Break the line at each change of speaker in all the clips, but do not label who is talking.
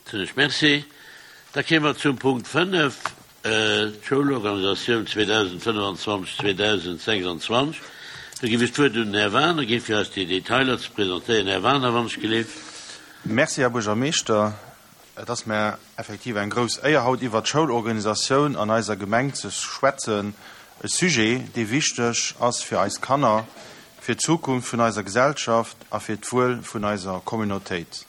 Soen ech Merci. Da kéime mer zum Punkt 5, d'Schoulorganisatioun 2025, 2026. Do géif ech d'Wuert un den Här Wagener ginn, fir eis déi Detailer ze presentéieren. Här Wagener, wann ech gelift.
Merci, Här Buergermeeschter. Et ass mär effektiv eng grouss Éier, haut iwwert d'Schoulorganisatioun an eiser Gemeng ze schwätzen, e Sujet, dee wichteg ass fir eis Kanner, fir d'Zukunft vun eiser Gesellschaft a fir d'Wuel vun eiser Communautéit.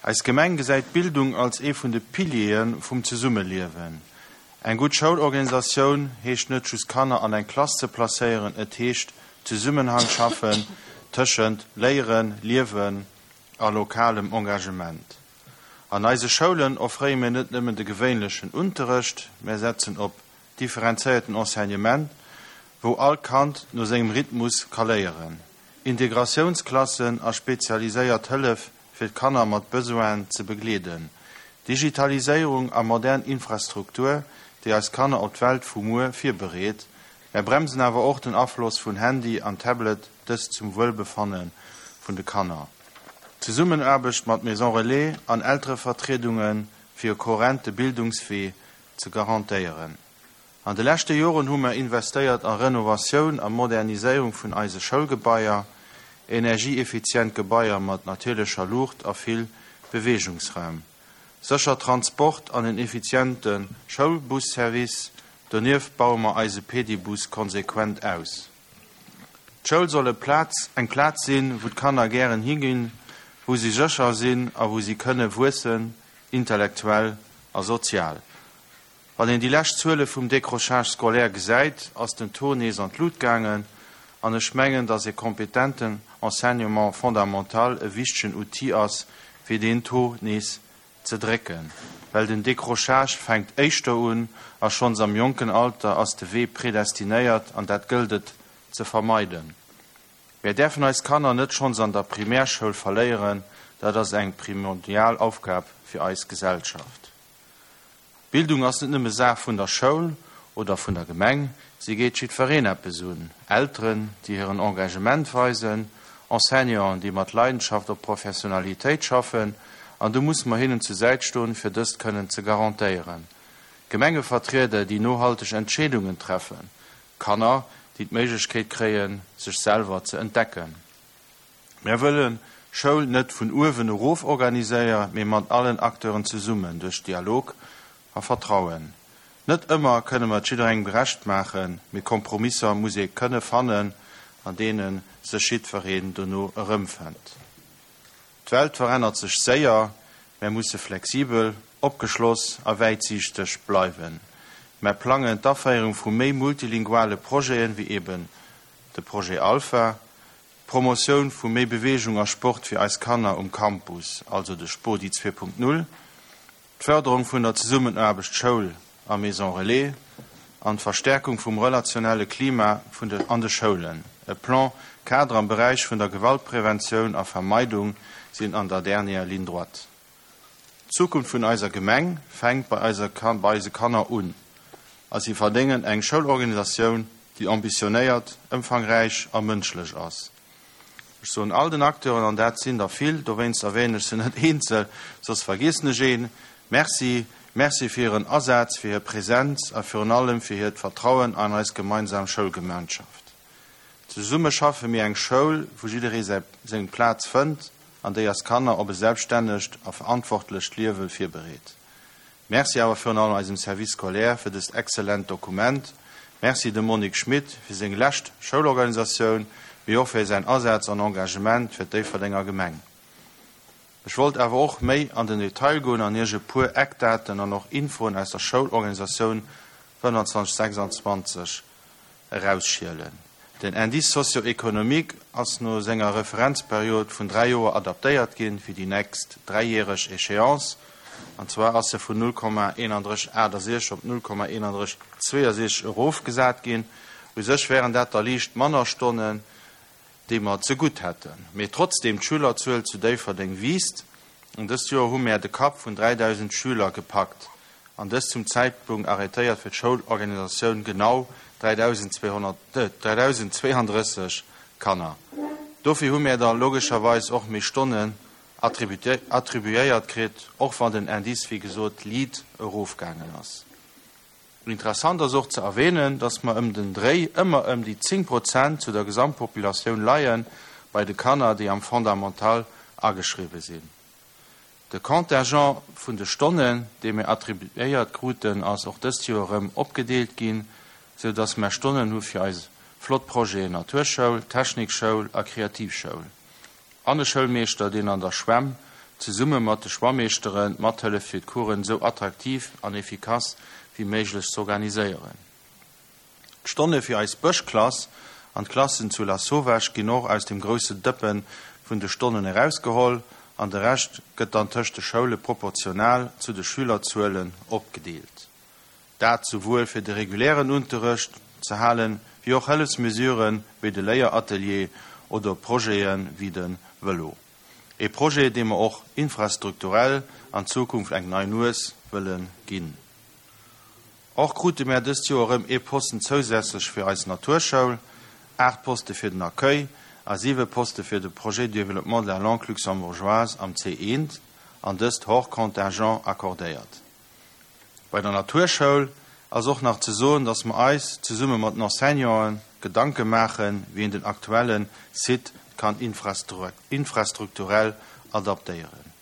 Eis Gemeng gesäit d'Bildung als ee vun de Piliere vum Zesummeliewen. Eng gutt Schoulorganisatioun heescht net just Kanner an eng Klass ze placéieren, et heescht Zesummenhang schaffen tëschent Léieren, Liewen a lokalem Engagement. An eise Schoulen offréie mir net nëmmen de gewéinlechen Unterrecht, mä setzen op differenzéierten Enseignement, wou all Kand no sengem Rhythmus ka léieren, Integratiounsklassen a spezialiséiert Hëllef fir d'Kanner mat Besoinen ze begleeden, Digitaliséierung a modern Infrastruktur, déi eis Kanner op d'Welt vu muer virbereet. Mär bremsen awer och den Afloss vun Handy an Tablet, dëst zum Wuelbefanne vun de Kanner. Zesummenaarbecht mat Maison Relais an Elterevertriedunge fir e kohärente Bildungswee ze garantéieren. An de leschte Joren hu mer investéiert a Renovatioun a Moderniséierung vun eise Schoulgebaier, energieeffizient Gebaier mat natierlecher Luucht a vill Beweegungsraum, sécher Transport an en effiziente Schoulbusservice. Donieft baue mer eise Pedibus konsequent aus. D'Schoul soll e Plaz, eng Plaz sinn, wou d'Kanner gären higinn, wou si sécher sinn a wou si kënne wuessen, intellektuell a sozial. Wann een déi lescht Zuele vum Décrochage scolaire gesäit, ass den Taux nees an d'Lut gaangen. An ech mengen, dass e kompetenten Enseignement fondamental e wichtegen Outil ass, fir deen Taux nees ze drécken. Well den Décrochage fänkt éischter un a schonns am jonken Alter ass de Wee predestinéiert an dat gëllt et ze vermeiden. Mär däerfen eis Kanner net schonns an der Primärschoul verléieren, dat ass eng primordial Aufgab fir eis Gesellschaft. Bildung ass net nëmme Saach vun der Schoul oder vun der Gemeng, si geet jiddwereen eppes un, Elteren, déi hiren Engagement weisen, Enseignanten, déi mat Leidenschaft op Professionalitéit schaffen, an do musse mer hinnen zur Säit stoen, fir dëst kënnen ze garantéieren, Gemengevertrieder, déi nohalteg Entscheedungen treffen, Kanner, déi d'Méiglechkeet kréien, sech selwer ze entdecken. Mär wëllen Schoul net vun uewen erof organiséier, mee mat allen Acteuren zesummen, duerch Dialog a Vertrauen. Net ëmmer kënne mer et jidderengem gerecht maachen, mee Kompromisser muss ee kënne fannen, an deene sech jiddwereen dono erëmfënnt. D'Welt verännert sech séier, mär musse flexibel, opgeschloss a wäitsiichteg bleiwen. Mär plangen d'Aféierung vu méi multilinguale Projeten, wéi eben de Projet Alpha, D'Promotioun vu méi Beweegung a Sport fir eis Kanner um Campus, also de Spodi 2.0, d'Fërderung vun der Zesummenaarbecht Schoul a Maison Relais an d'Verstärkung vum relationelle Klima vun de an de Schoulen, e Plan cadre am Beräich vun der Gewaltpreventioun a vermeidung sinn an der dernière ligne droite. D'Zukunft vun eiser Gemeng fänkt bei eiser bei eise Kanner un a si verdéngen eng Schoulorganisatioun, déi ambitionéiert, ëmfangräich a mënschlech ass. Ech soen all den Acteuren, an dat sinn der vill, dowéinst erwänen ech se net eenzel, soss vergiessen ech een, Merci. Merci fir hiren Asaz, fir hir Präsenz a virun allem fir hiert Vertrauen an eis gemeinsam Schoulgemeinschaft. Zesumme schaffe mir eng Schoul, wou jidderee säi seng Plaz fënnt an déi eis Kanner op e selbststännegt a verantwortlecht Liewe virbereet. Merci awer virun allem eisem Service scolaire fir dëst exzellent Dokument. Merci dem Monique Schmit fir seng lescht Schoulorganisatioun, mee och fir säin Asaz an Engagement fir d'Déifferdenger Gemeng. Ech wollt awer och méi an den Detail goen an Iech e puer Eckdaten an och Infoen aus der Schoulorganisatioun 25 26 erausschielen. Den Indice socio-économique ass no senger Referenzperiod vun 3 Joer adaptéiert ginn fir déi nächst dräijäreg Échéance, an zwar ass e vun 0,3168 op 0,3162 erofgesat ginn. U sech wären dat da liicht manner Stonnen, déi mer zegutt hätten. Mee trotzdeem, d'Schülerzuel zu Déifferdeng wiisst an dëst Joer hu mär de Kapp vun 3.000 Schüler gepackt an dëst zum Zäitpunkt arrêtéiert fir d'Schoulorganisatioun genau 3.200, 3.032 Kanner. Dofir hu mär da logescherweis och méi Stonnen. attribuéiert kritt, och wann den Indice wéi gesot liit erofgaangen ass. Interessant ass och ze erwähnen, dass mer ëm den Dréi ëmmer ëm déi 10 Prozent zu der Gesamtpopulatioun leie bei de Kanner, déi am Fondamental ageschriwwe sinn. De Contingent vun de Stonnen, dee mir attribuéiert kruten, ass och dëst Joer erëm opgedeelt ginn, sou dass mer Stonnen hu fir eis flott Projeten Naturschoul, Technikschoul a Kreativschoul. An e Schoulmeeschter, deen an der Schwämm zesumme mat de Schwammeeschteren mathëlleft fir d'Coursen sou attraktiv an efficace wéi méiglech z'organiséieren. D'Stonne fir eis Bëschklass an d'Klassen zu Lasauvage ginn och aus dem grousse Dëppe vun de Stonnen erausgeholl an de Rescht gëtt dann tëscht de Schoule proportional zu de Schülerzuelen opgedeelt. Dat souwuel fir de regulären Unterrecht ze halen, wéi och Hëllefsmesuren wéi de Léieratelier oder Projete wéi de Vëlo. E Projet, deem mer och infrastrukturell an Zukunft eng nei Nues wëlle ginn. Och krute mär dëst Joer erëm ee Posten zousätzlech fir eis Naturschoul, 8 Poste fir den Accueil a 7 Poste fir de Projet de développement de la langue luxembourgeoise am C1, an dëst hors contingent accordéiert. Bei der Naturschoul ass och nach ze soen, dass mer eis, zesumme mat den Enseignanten, Gedanke maachen, wéi een den aktuelle Site kann infrastrukturell adaptéieren.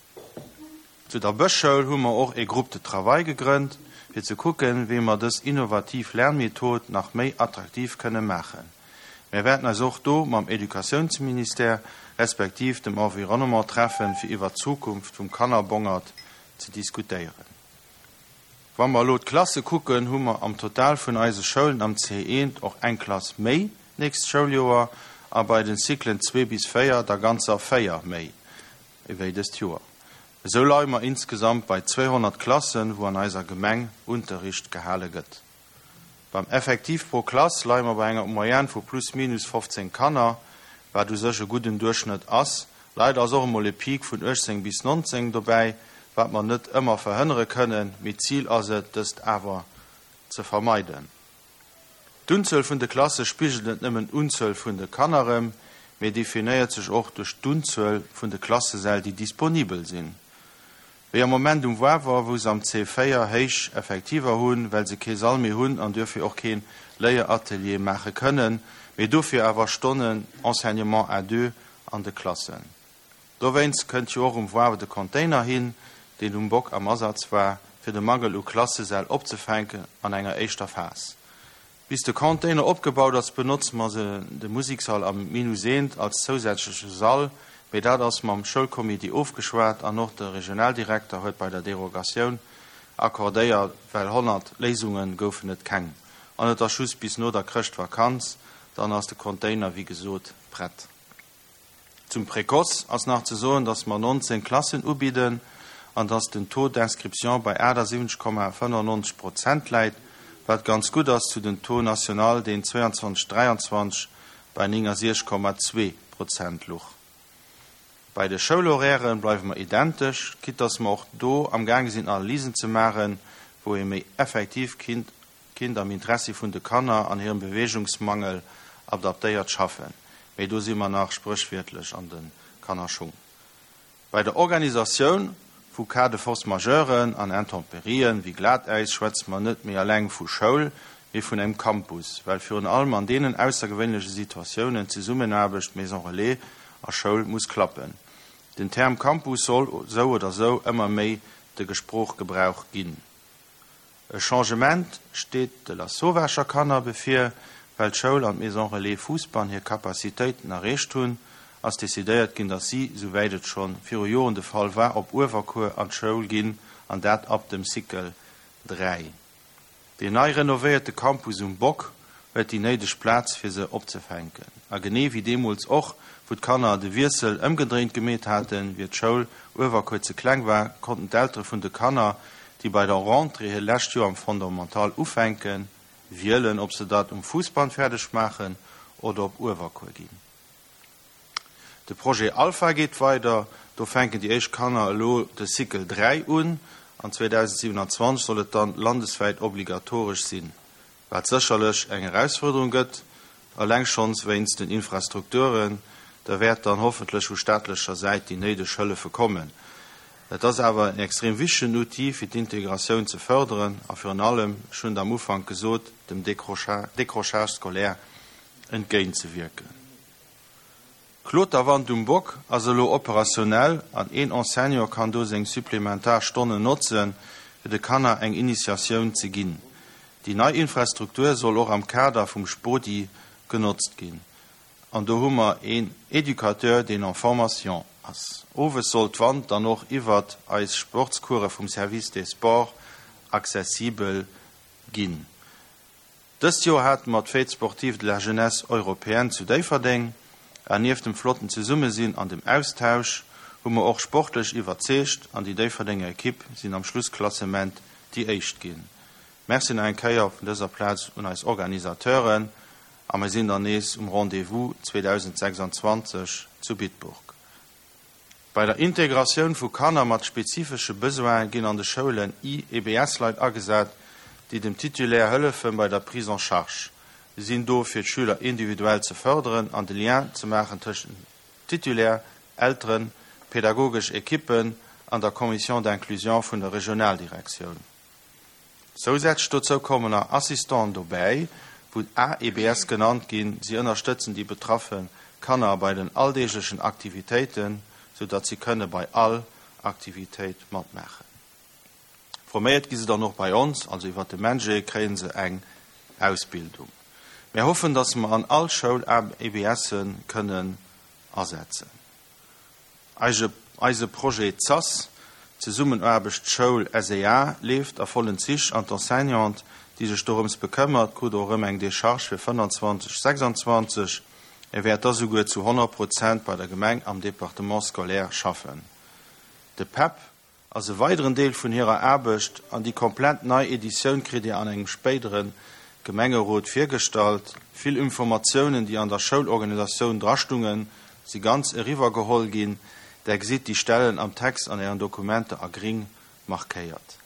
Zu der Bëschschoul hu mer och ee Groupe de travail gegrënnt, fir ze kucken, wéi mer dës innovativ Lernmethod nach méi attraktiv kënne maachen. Mär wäerten eis och do mam Educatiounsministère respektiv dem Environnement treffen, fir iwwert d'Zukunft vum Kannerbongert ze diskutéieren. Wa mer elo d'Klasse kucken, hu mer am Total vun eise Schoulen am C1 och eng Klass méi nächst Schouljoer a bei den Cyclen 2 bis 4 der ganzer 4 méi. ewéi dëst Joer. Esou leie mer insgesamt bei 200 Klassen, wou an eiser Gemeng Unterricht gehale gëtt. Beim Effektiv pro Klass leie mer bei enger Moyenne vu plus minus 15 Kanner, wat u sech e gudden Duerchschnëtt ass. Leider ass och emol e Peak vun 18 bis 19 dobäi, wat mer net ëmmer verhënnere kënnen, mee d'Zil ass et, dëst awer ze vermeiden. D'Unzuel vun de Klasse spigelt net nëmmen d'Unzuel vun de Kanner erëm, mee definéiert sech och duerch d'Unzuel vun de Klassesäll, déi disponibel sinn. Wéi am Moment um Wawer, wou se am C4 héich Effektiver hunn, well se kee Sall méi hunn an duerfir och kee Léieratelier maache kënnen, mee dofir awer Stonnen Enseignement à deux an de Klassen. Dowéinst kënnt jo och um Wawer de Container hin, deen um Bock am Asaz war, fir de Mangel u Klassesäll opzefänken an enger éischter Phas. Bis de Container opgebaut ass, benotze mer se de Musikssall am Minus eent als zousätzleche Sall, mee dat ass mam Schoulcomité ofgeschwat an och de Regionaldirekter huet bei der Derogatioun accordéiert, well 100 Léisunge goufen et keng an et ass just bis no der Chrëschtvakanz, dann ass de Container wéi gesot prett. Zum Précoce ass nach ze soen, dass mer 19 Klassen ubidden an dass den Taux d'inscription bei 78,95 Prozent läit, wat ganz gutt ass zu den Taux national, deen 22, 23 bei 69,2 Prozent luch. Bei de Schoulhorairë bleiwe mer identesch, quitte dass mer och do amgaange sinn Analysen ze maachen, wou ee méi effektiv kinnt kinnt am Interessi vun de Kanner an hirem Beweegungsmangel adaptéiert schaffen, mee do si mer nach spréchwiertlech an de Kannerschung. Bei der Organisatioun vu Cas de force majeuren an Intemperien wéi Glatäis schwätze mer net méi eleng vu Schoul, mee vun engem Campus, well virun allem an deenen aussergewéinleche Situatiounen d'Zesummenaarbecht Maison Relais a Schoul muss klappen. Den Term Campus soll sou oder sou ëmmer méi de Gesproochgebrauch ginn. E Changement steet de Lasauvescher Kanner bevir. Well d'Schoul an d'Maison Relais Fousbann hir Capacitéiten erreecht hunn, ass decidéiert ginn, datt si, souwäit et schonn viru Joren de Fall war, op Uewerkuer an d'Schoul ginn, an dat ab dem Cycle 3. Deen nei renovéierte Campus um Bock huet déi néideg Plaz fir se opzefänken. A genee wéi deemools och, wou d'Kanner de Wiessel ëmgedréint gemeet haten, wier d'Schoul Uewerkuer ze kleng war, konnten d'Eltere vun de Kanner, déi bei der Rentrée hiert lescht Joer am Fondamental ufänken, wielen, ob se dat um Fousbann fäerdeg maachen oder op Uewerkuer ginn. De Projet Alpha geet weider, do fänken déi éischt Kanner elo de Cycle 3 un an 2027 soll et dann landeswäit obligatoresch sinn, wat sécherlech eng Erausfuerderung gëtt, eleng schonns wéinst den Infrastrukturen. Da wäert dann hoffentlech vu staatlecher Säit déi néideg Hëllefe kommen. Et ass awer en extrem wichtegen Outil, fir d'Integratioun ze fërderen a virun allem, ech hunn et am Ufank gesot, dem Décrochage scolaire entgéintzewierken. D'Kloterwand um Bock ass elo operationell an een Enseignant kann do seng supplementar Stonnen notzen, fir de Kanner eng Initiatioun ze ginn. Déi nei Infrastruktur soll och am Kader vum Spodi genotzt ginn. An do hu mer een Educateur, deen en formation ass. Owes soll d'Wand dann och iwwert eis Sportscourse vum Service des Sports accessibel ginn. Dëst Joer hate mer d'Fête sportive de la jeunesse européenne zu Déifferdeng. An nieft dem flotten Zesummesinn an dem Austausch hu mer och sportlech iwwerzeegt an déi Déifferdenger Ekipp sinn am Schlussklassement déi éischt ginn. Merci nach eng Kéier vun dëser Plaz un eis Organisateuren a mir sinn dann nees um Rendez-vous 2026 zu Bitburg. Bei der Integratioun vu Kanner mat spezifesche Besoine ginn an de Schoulen IEBS-Leit agesat, déi dem Titulaire hëllefe bei der Prise en charge. Si sinn do fir d'Schüler individuell ze fërderen an de Lien ze maachen tëschent dem Titulaire, Elteren, pedagogesch Ekippen an der Commission d'inclusion vun der Regionaldirektioun. Zousätzlech dozou kommen nach Assistenten dobäi, wou AEBS genannt ginn. Si ënnerstëtzen déi betraffe Kanner bei den alldeeglechen Aktivitéiten, sou datt si kënne bei all Aktivitéit matmaachen. Forméiert gi se dann och bei ons, also iwwert de MENJE kréie se eng Ausbildung. Mär hoffen, datt mer an all Schoul AEBSe kënnen asetzen. Eise Projet ZAS, Zesummenaarbecht Schoul SEA, leeft a vollen Zich an d'Enseignante, déi sech dorëms bekëmmert, krut och erëm eng Decharge fir 25, 26. E wäert da souguer zu 100 Prozent bei der Gemeng am Département scolaire schaffen. De PEP ass e weideren Deel vun hirer Aarbecht an déi komplett nei Editioun kritt Dir an engem spéidere Gemengerot virgestallt. Vill Informatiounen, déi an der Schoulorganisatioun drastungen, si ganz eriwwer geholl ginn. Der gesitt déi Stellen am Text an Ären Dokumenter a gring markéiert.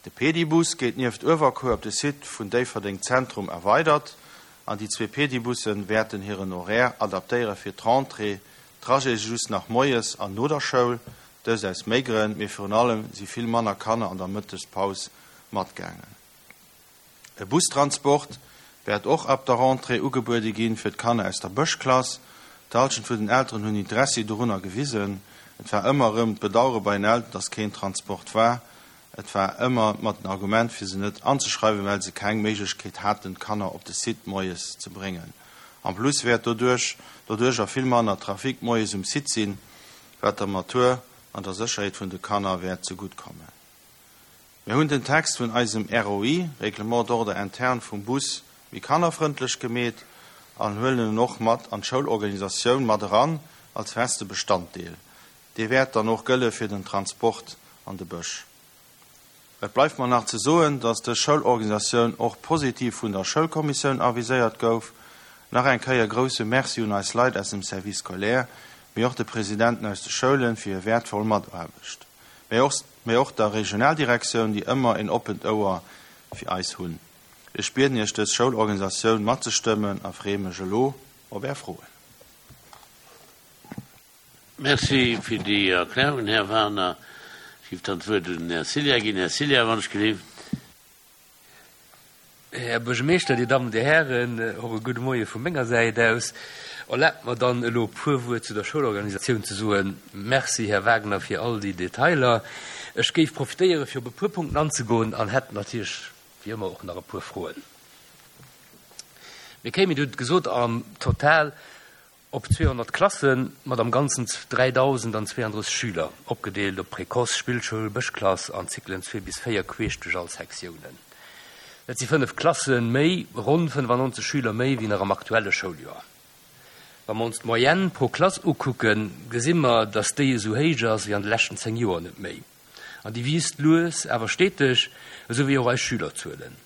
De Pedibus gétt nieft Uewerkuer op de Site vun Déifferdeng Zentrum erweidert an déi zwee Pedibusse wäerten hiren Horaire adaptéiere fir d'Rentrée. D'Trajete si just nach moies an no der Schoul, dëst aus méi Grënn, mee virun allem si vill manner Kanner an der Mëttespaus matgaangen. E Bustransport wäert och ab der Rentrée ugebuede ginn fir d'Kanner aus der Bëschklass. D'Halschent vun den Elteren hunn Interessi dorunner gewisen. Et war ëmmer erëm d'Bedauere bei den Elteren, dass keen Transport war. Et war ëmmer mat den Argument fir se net anzeschreiwen, well se keng Méiglechkeet haten d'Kanner op de Site moies ze bréngen. En plus wäert doduerch doduercher vill manner Trafic moies um Site sinn, wat der Matur an der Sécherheet vun de Kanner wäert zegutt kommen. Mir hunn den Text vun eisem ROI, Règlement d'ordre interne, vum Bus méi kannerfrëndlech gemeet an huelen en och mat an d'Schoulorganisatioun mat eran als feste Bestanddeel. Dee wäert dann och gëlle fir den Transport an de Bësch. Et bleift mer nach ze soen, dass dës Schoulorganisatioun och positiv vun der Schoulkommissioun aviséiert gouf. Nach eng Kéier grousse Merci un eis Leit aus dem Service scolaire, mee och de Presidenten aus de Schoulen fir hir wäertvoll Mataarbecht. Mee och der Regionaldirektioun, déi ëmmer een oppent Ouer fir eis hunn. Ech bieden Iech dës Schoulorganisatioun matzestëmmen a freeë mech elo op Är Froen.
Merci fir déi Erklärungen, Här Wagener. Ech géif dann d'Wuert un den Här Cilla ginn. Här Cilla, wann ech gelift.
Här Buergermeeschter, Dir Dammen, Dir Hären, och e gudde Moie vu menger Säit aus. Erlaabt mer dann elo e puer Wuert zu der Schoulorganisatioun ze soen. Merci, Här Wagner, fir all déi Detailer. Ech géif profitéiere fir op e puer Punkten anzegoen an hätt natierlech wéi ëmmer och nach e puer Froen. Mir kéimen, Dir hutt et gesot, am Total Op 200 Klasse mat am Ganzen 3.032 Schüler, opgedeelt op Précoce, Spillschoul, Bëschklass an Zyklen 2 bis 4 queesch duerch all Sektiounen. Dat si 5 Klasse méi, ronn 95 Schüler méi wéi nach am aktuelle Schouljoer. Wa mer ons d'Moyenne pro Klass ukucken, gesi mer, dass déi esou héich ass wéi an de leschten 10 Joer net méi. An déi wiisst lues awer steteg, esou wéi och eis Schülerzuelen.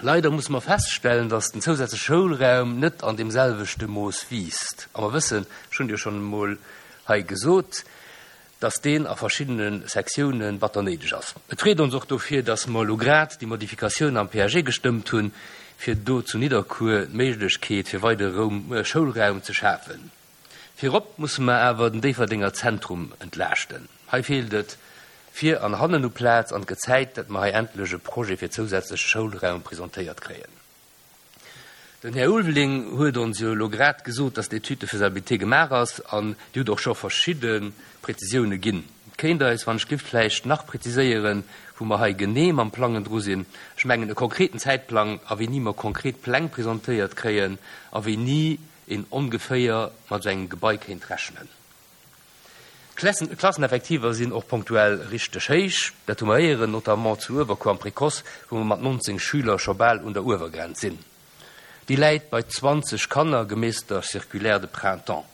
Leider musse mer feststellen, dass den zousätzleche Schoulraum net an deem selwechte Mooss wiisst. A mer wëssen, ech hunn et jo schonn emol hei gesot, dass deen a verschiddene Sektiounen batter néideg ass. Et freet ons och dofir, dass mer elo grad déi Modifikatioun am PAG gestëmmt hunn, fir do zu Nidderkuer d'Méiglechkeet fir weidere Schoulraum ze schafen. Virop musse mer awer den Déifferdenger Zentrum entlaaschten. Hei feelt et vir an hannen u Plaz an et gëtt Zäit, datt mer hei endlech e Projet fir zousätzleche Schoulraum presentéiert kréien. Den Här Ulveling huet ons jo elo grad gesot, dass d'Étude de faisabilité gemaach ass an Dir hutt och scho verschidde Prezisioune ginn. Kéint eis, wann ech giff, vläicht nach preziséieren, wou mer hei genee mam Plangen dru sinn? Ech mengen e konkreten Zäitplang a wéini mer konkret Pläng presentéiert kréien a wéini een ongeféier mat esou engem Gebai kéint rechnen. D'Klasseneffektiver sinn och punktuell richteg héich, dat hu mer héieren, notamment zu Uewerkuer am Précoce, wou mer mat 19 Schüler scho bal un der Uewergrenz sinn. Déi läit bei 20 Kanner, gemäss der Circulaire de printemps.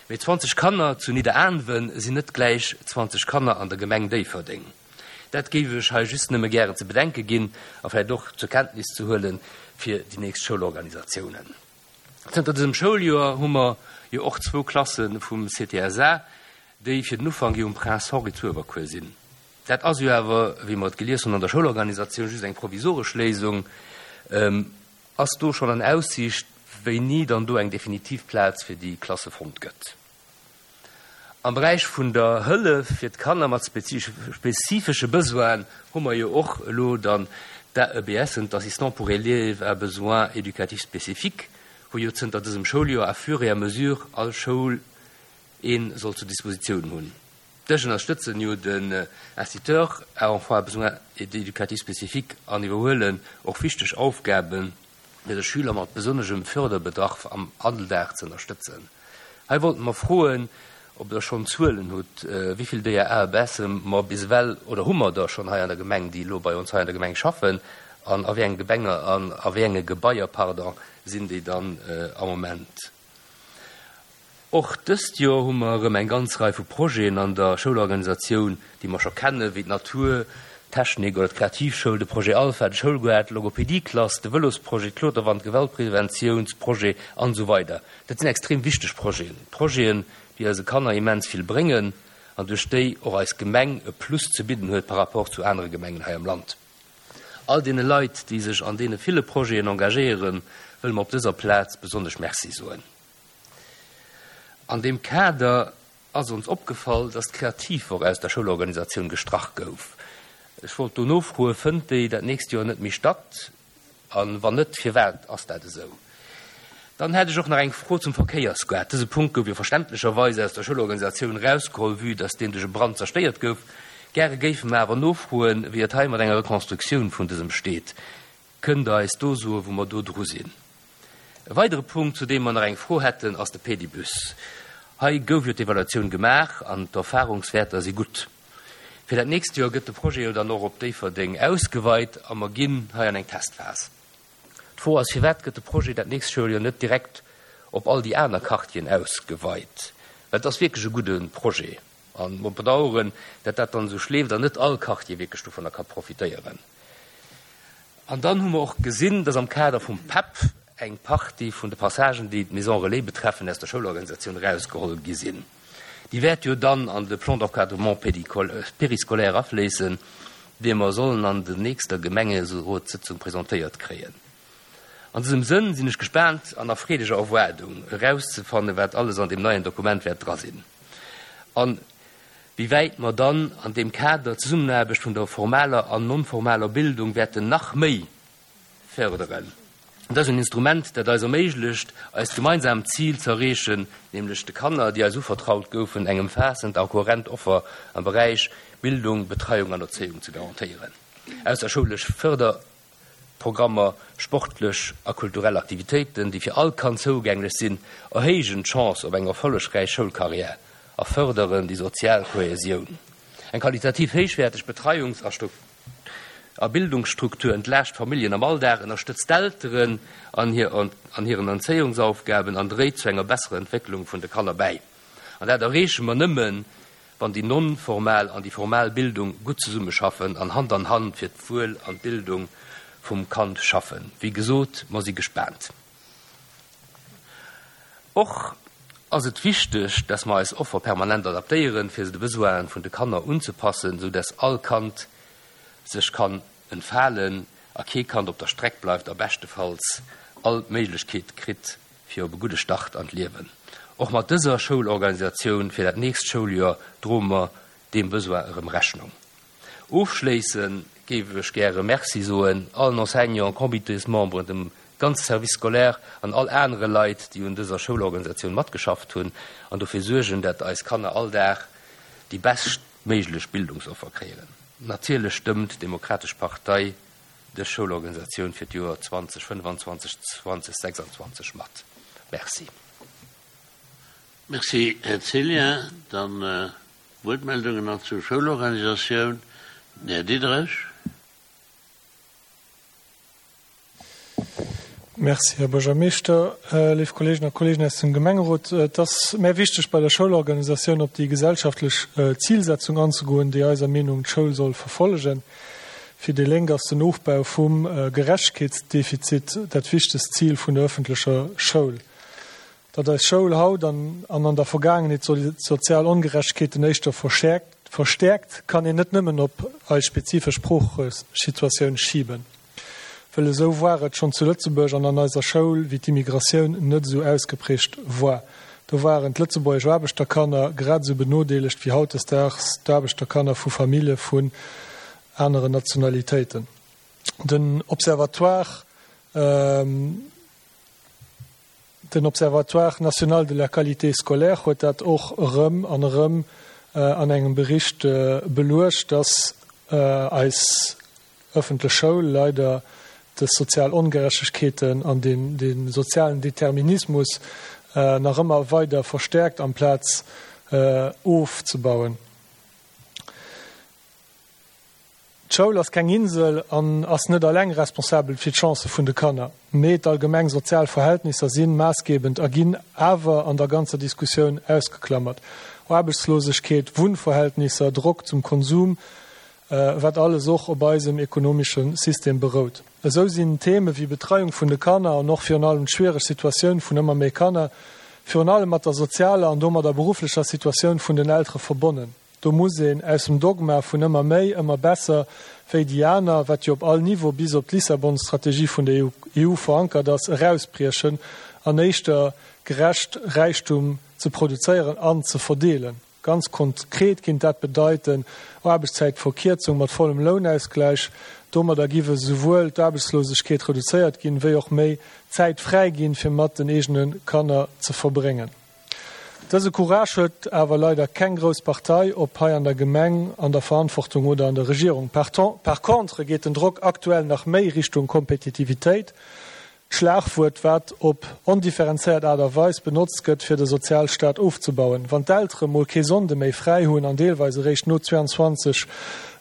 Mee 20 Kanner zu Nidderaanwen sinn net gläich 20 Kanner an der Gemeng Déifferdeng. Dat géif ech hei just nëmme gären ze bedenke ginn a vläicht och zur Kenntnis ze huele fir déi nächst Schoulorganisatiounen. Zënter dësem Schouljoer hu mer jo och zwou Klasse vum CTSA, déi fir den Ufank jo um Prince Henri zu Uewerkuer sinn. Dat ass jo awer, wéi mer et gelies hunn an der Schoulorganisatioun, just eng provisoresch Léisung. Ass do schonn an Aussiicht, wéini dann do eng definitiv Plaz fir déi Klasse fonnt gëtt? Am Beräich vun der Hëllef fir d'Kanner mat spezifesche Besoinen hu mer jo och elo dann d'AEBSen, d'Assistants pour élèves à besoins éducatifs spécifiques, wou jo zënter dësem Schouljoer à fur et à mesure all Schoul ee soll zur Dispositioun hunn. Dës ënnerstëtzen jo den Instituteur à enfants à besoins éducatifs spécifiques an iwwerhuelen och wichteg Aufgaben, fir de Schüler mat besonneschem Förderbedarf am Alldag ze ënnerstëtzen. Hei wollten mer froen, ob Der schonn Zuelen hutt, wéi vill déier AEBSe mer bis ewell, oder hu mer der schonn hei an der Gemeng, déi elo bei ons hei an der Gemeng schaffen, an a wéi enge Gebenger, an a wéi enge Gebaier, pardon, sinn déi dann am Moment? Och dëst Joer hu mer erëm eng ganz Rei vu Projeten an der Schoulorganisatioun, déi mer scho kennen, wéi d'Natur, d'Technik oder d'Kreativschoul, de Projet Alpha, de Schoulgaart, d'Logopedieklass, de Vëlosprojet, d'Kloterwand, d'Gewaltpreventiounsprojet an esou weider. Dat sinn extrem wichteg Projeten, Projeten, déi eise Kanner immens vill bréngen an duerch déi och eis Gemeng e Plus ze bidden huet par rapport zu anere Gemengen hei am Land. All deene Leit, déi sech an deene ville Projeten engagéieren, wëlle mer op dëser Plaz besonnesch Merci soen. An deem Kader ass ons opgefall, dass d'Kreativwoch aus der Schoulorganisatioun gestrach gouf. Ech wollt do nofroen, Fënnt déi dat nächst Joer net méi statt? A wann net, firwat ass dat esou? Dann hätt ech och nach eng Fro zum Verkéiersgaart. Dëse Punkt gouf jo verständlecherweis aus der Schoulorganisatioun erausgeholl, vue dass deen duerch e Brand zerstéiert gouf. Gäre géife mer awer nofroen, wéi et hei mat enger Rekonstruktioun vun dësem steet. Kënnt Der eis do soen, wou mer do dru sinn? E weidere Punkt, zu deem mer nach eng Fro hätten, ass de Pedibus. Hei gouf jo d'Evaluatioun gemaach an d'Erfahrungswäerter si gutt. Fir dat nächst Joer gëtt de Projet jo dann och op Déifferdeng ausgeweit a mer ginn hei an eng Testphas. D'Fro ass, Firwat gëtt de Projet dat nächst Schouljoer net direkt op all déi aner Quartieren ausgeweit? Well et ass wierklech e gudde Projet a mer bedauern, dat dat dann esou schleeft an net all Quartier wierklech dovunner ka profitéieren. An dann hu mer och gesinn, dass am Kader vum PEP eng Partie vun de Passagen, déi d'Maison relais betreffen, aus der Schoulorganisatioun erausgeholl gi sinn. Déi wäert jo dann an de Plan d'encadrement périscolaire afléissen, dee mer sollen an der nächster Gemengerotssëtzung presentéiert kréien. An dësem Sënn sinn ech gespaant an a freedeger Erwaardung, erauszefannen, wat alles an deem neien Dokument wäert dra sinn. An wéi wäit mer dann an deem Kader d'Zesummenaarbecht vun der formaler an non-formaler Bildung wäerten nach méi férderen. Et ass en Instrument, dat eis erméiglecht, eist gemeinsaamt Zil ze erreechen, nämlech de Kanner, déi eis uvertraut goufen, eng ëmfaassend a kohärent Offer am Beräich Bildung, Betreiung an Erzéiung ze garantéieren. Ausserschoulesch Förder. Programmer, sportlech a kulturell Aktivitéiten, déi fir all Kand zougänglech sinn, erhéijen d'Chance op eng erfollegräich Schoulkarriär a fërderen déi sozial Kohäsioun. Eng qualitativ héichwäerteg Betreiungs a Bildungsstruktur entlaascht d'Familljen am Alldag, ënnerstëtzt d'Elteren an hiren Erzéiungsaufgaben an dréit zu enger besserer Entwécklung vun de Kanner bäi. An dat erreeche mer nëmmen, wann déi non-formal an déi formal Bildung gutt zesummeschaffen an Hand an Hand fir d'Wuel an d'Bildung vum Kand schaffen. Wéi gesot, mer si gespaant. Och ass et wichteg, dass mer eis Offer permanent adaptéieren, fir se de Besoinen vun de Kanner unzepassen, sou dass all Kand sech kann entfalen a kee Kand op der Streck bleift a beschtefalls all d'Méiglechkeet kritt fir op e gudde Start an d'Liewen. Och mat dëser Schoulorganisatioun fir dat nächst Schouljoer droe mer deem Besoin erëm Rechnung. Ofschléisse géif ech gäre Merci soen allen Enseignanten, Comitésmemberen, dem ganze Service scolaire an all anere Leit, déi un dëser Schoulorganisatioun matgeschafft hunn an dofir suergen, dat eis Kanner all Dag déi beschtméiglech Bildungsoffer kréien. Natierlech stëmmt d'Demokratesch Partei dës Schoulorganisatioun fir d'Joer 2025, 2026 mat. Merci.
Merci, Här Cillien. Dann Wuertmeldungen nach zur Schoulorganisatioun. Den Här Diderich.
Merci, Här Buergermeeschter. Léif Kolleegen a Kolleegen aus dem Gemengerot, et ass mär wichteg, bei der Schoulorganisatioun op déi gesellschaftlech Zilsetzung anzegoen, déi eiser Meenung d'Schoul soll verfollegen. Fir déi Lénk ass den Ofbau vum Gerechtegkeetsdefizit dat wichtegst Zil vun der öffentlecher Schoul. Datt eis Schoul haut an an der Vergaangenheet sozial Ongerechtegkeeten éischter verstäerkt, kann een net nëmmen op eis spezifesch Sproochesituatioun schiben. Wëll esou woar et schonn zu Lëtzebuerg an an eiser Schoul, wéi d'Immigratioun net esou ausgeprägt woar. Do woaren d'lëtzebuergesch Aarbechterkanner grad esou benodeelegt wéi hautdesdaags d'Aarbechterkanner vu Famillje vun aneren Nationalitéiten. Den Observatoire. Den Observatoire national de la qualité scolaire huet dat och erëm an erëm an engem Bericht beluecht, dass eis ëffentlech Schoul leider dës sozial Ongerechtegkeeten an dee sozialen Determinismus nach ëmmer weider verstäerkt amplaz ofzebauen. D'Schoul ass keng Insel an ass net alleng responsabel fir d'Chancë vun de Kanner, mee d'allgemeng sozial Verhältnisser si maassgebend a ginn awer an der ganzer Diskussioun ausgeklammert. Aarbechtslosegkeet, Wunnverhältnisser, Drock zum Konsum, wat alles och op eisem ekonomesche System berout. Esou sinn Theme wéi Betreiung vun de Kanner an och virun allem d'schwiereg Situatioun vun ëmmer méi Kanner virun allem mat der sozialer an domadder berufflecher Situatioun vun den Eltere verbonnen. Do muss een aus dem Dogma vun ëmmer méi, ëmmer besser wéi déi aner, wat jo op all Niveau bis op d'Lissabon-Strategie vun der EU verankert ass, erausbriechen an éischter gerecht Räichtum ze produzéieren an ze verdeelen. Ganz konkret kinnt dat bedeiten, Aarbechtszäitverkierzung mat vollem Lounausgläich. Domadder giff esouwuel d'Aarbechtslosegkeet reduzéiert ginn, wéi och méi Zäit fräi ginn, fir mat den eegene Kanner ze verbréngen. Dëse Courage huet awer leider keng grouss Partei, ob hei an der Gemeng, an der Verantwortung oder an der Regierung. Par contre geet den Drock aktuell nach méi Richtung Kompetitivitéit, d'Schlagwuert wat op ondifferenzéiert Aart a Weis benotzt gëtt fir de Sozialstaat ofzebauen. Wann d'Eltere mol kee Sonnde méi fräi hunn an deelweis eréischt no 22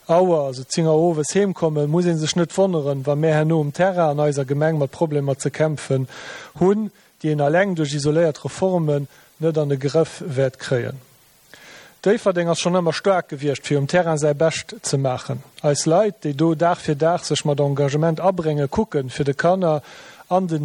Auer, also 10 Auer owes heem kommen, muss ee sech net wonneren, wa mär herno um Terrain an eiser Gemeng mat Problemer ze kämpfen hunn, déi een alleng duerch isoléiert Reformen net an de Grëff wäert kréien. Déifferdeng ass schonn ëmmer staark gewiescht, fir um Terrain säi Bescht ze maachen. Eis Leit, déi do Dag fir Dag sech mat Engagement abréngen, kucken, fir de Kanner an de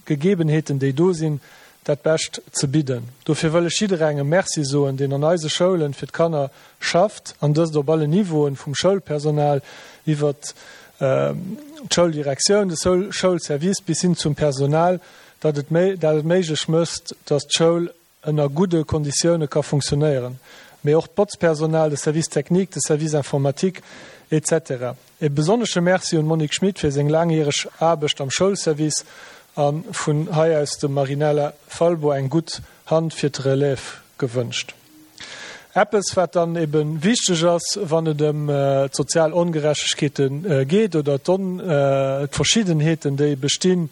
Gegebenheeten, déi do sinn, dat Bescht ze bidden. Dofir wëll ech jidderengem Merci soen, deen an eise Schoulen fir d'Kanner schafft, an dëst op allen Niveauen, vum Schoulpersonal iwwert d'Schouldirektioun, de Schoulservice bis hin zum Personal, dat et dat et méiglech mécht, datt d'Schoul ënner gudde Konditioune ka funktionéieren, mee och d'Botzpersonal, de Service technique, de Service informatique, etc. E besonnesche Merci un d'Monique Schmit fir seng laangjäreg Aarbecht am Schoulservice a vun hei aus dem Marinella Falbo eng gutt Hand fir d'Relève gewënscht. Eppes, wat dann ebe wichteg ass, wann et ëm d'sozial Ongerechtegkeete geet oder d'Verschiddenheeten, déi bestinn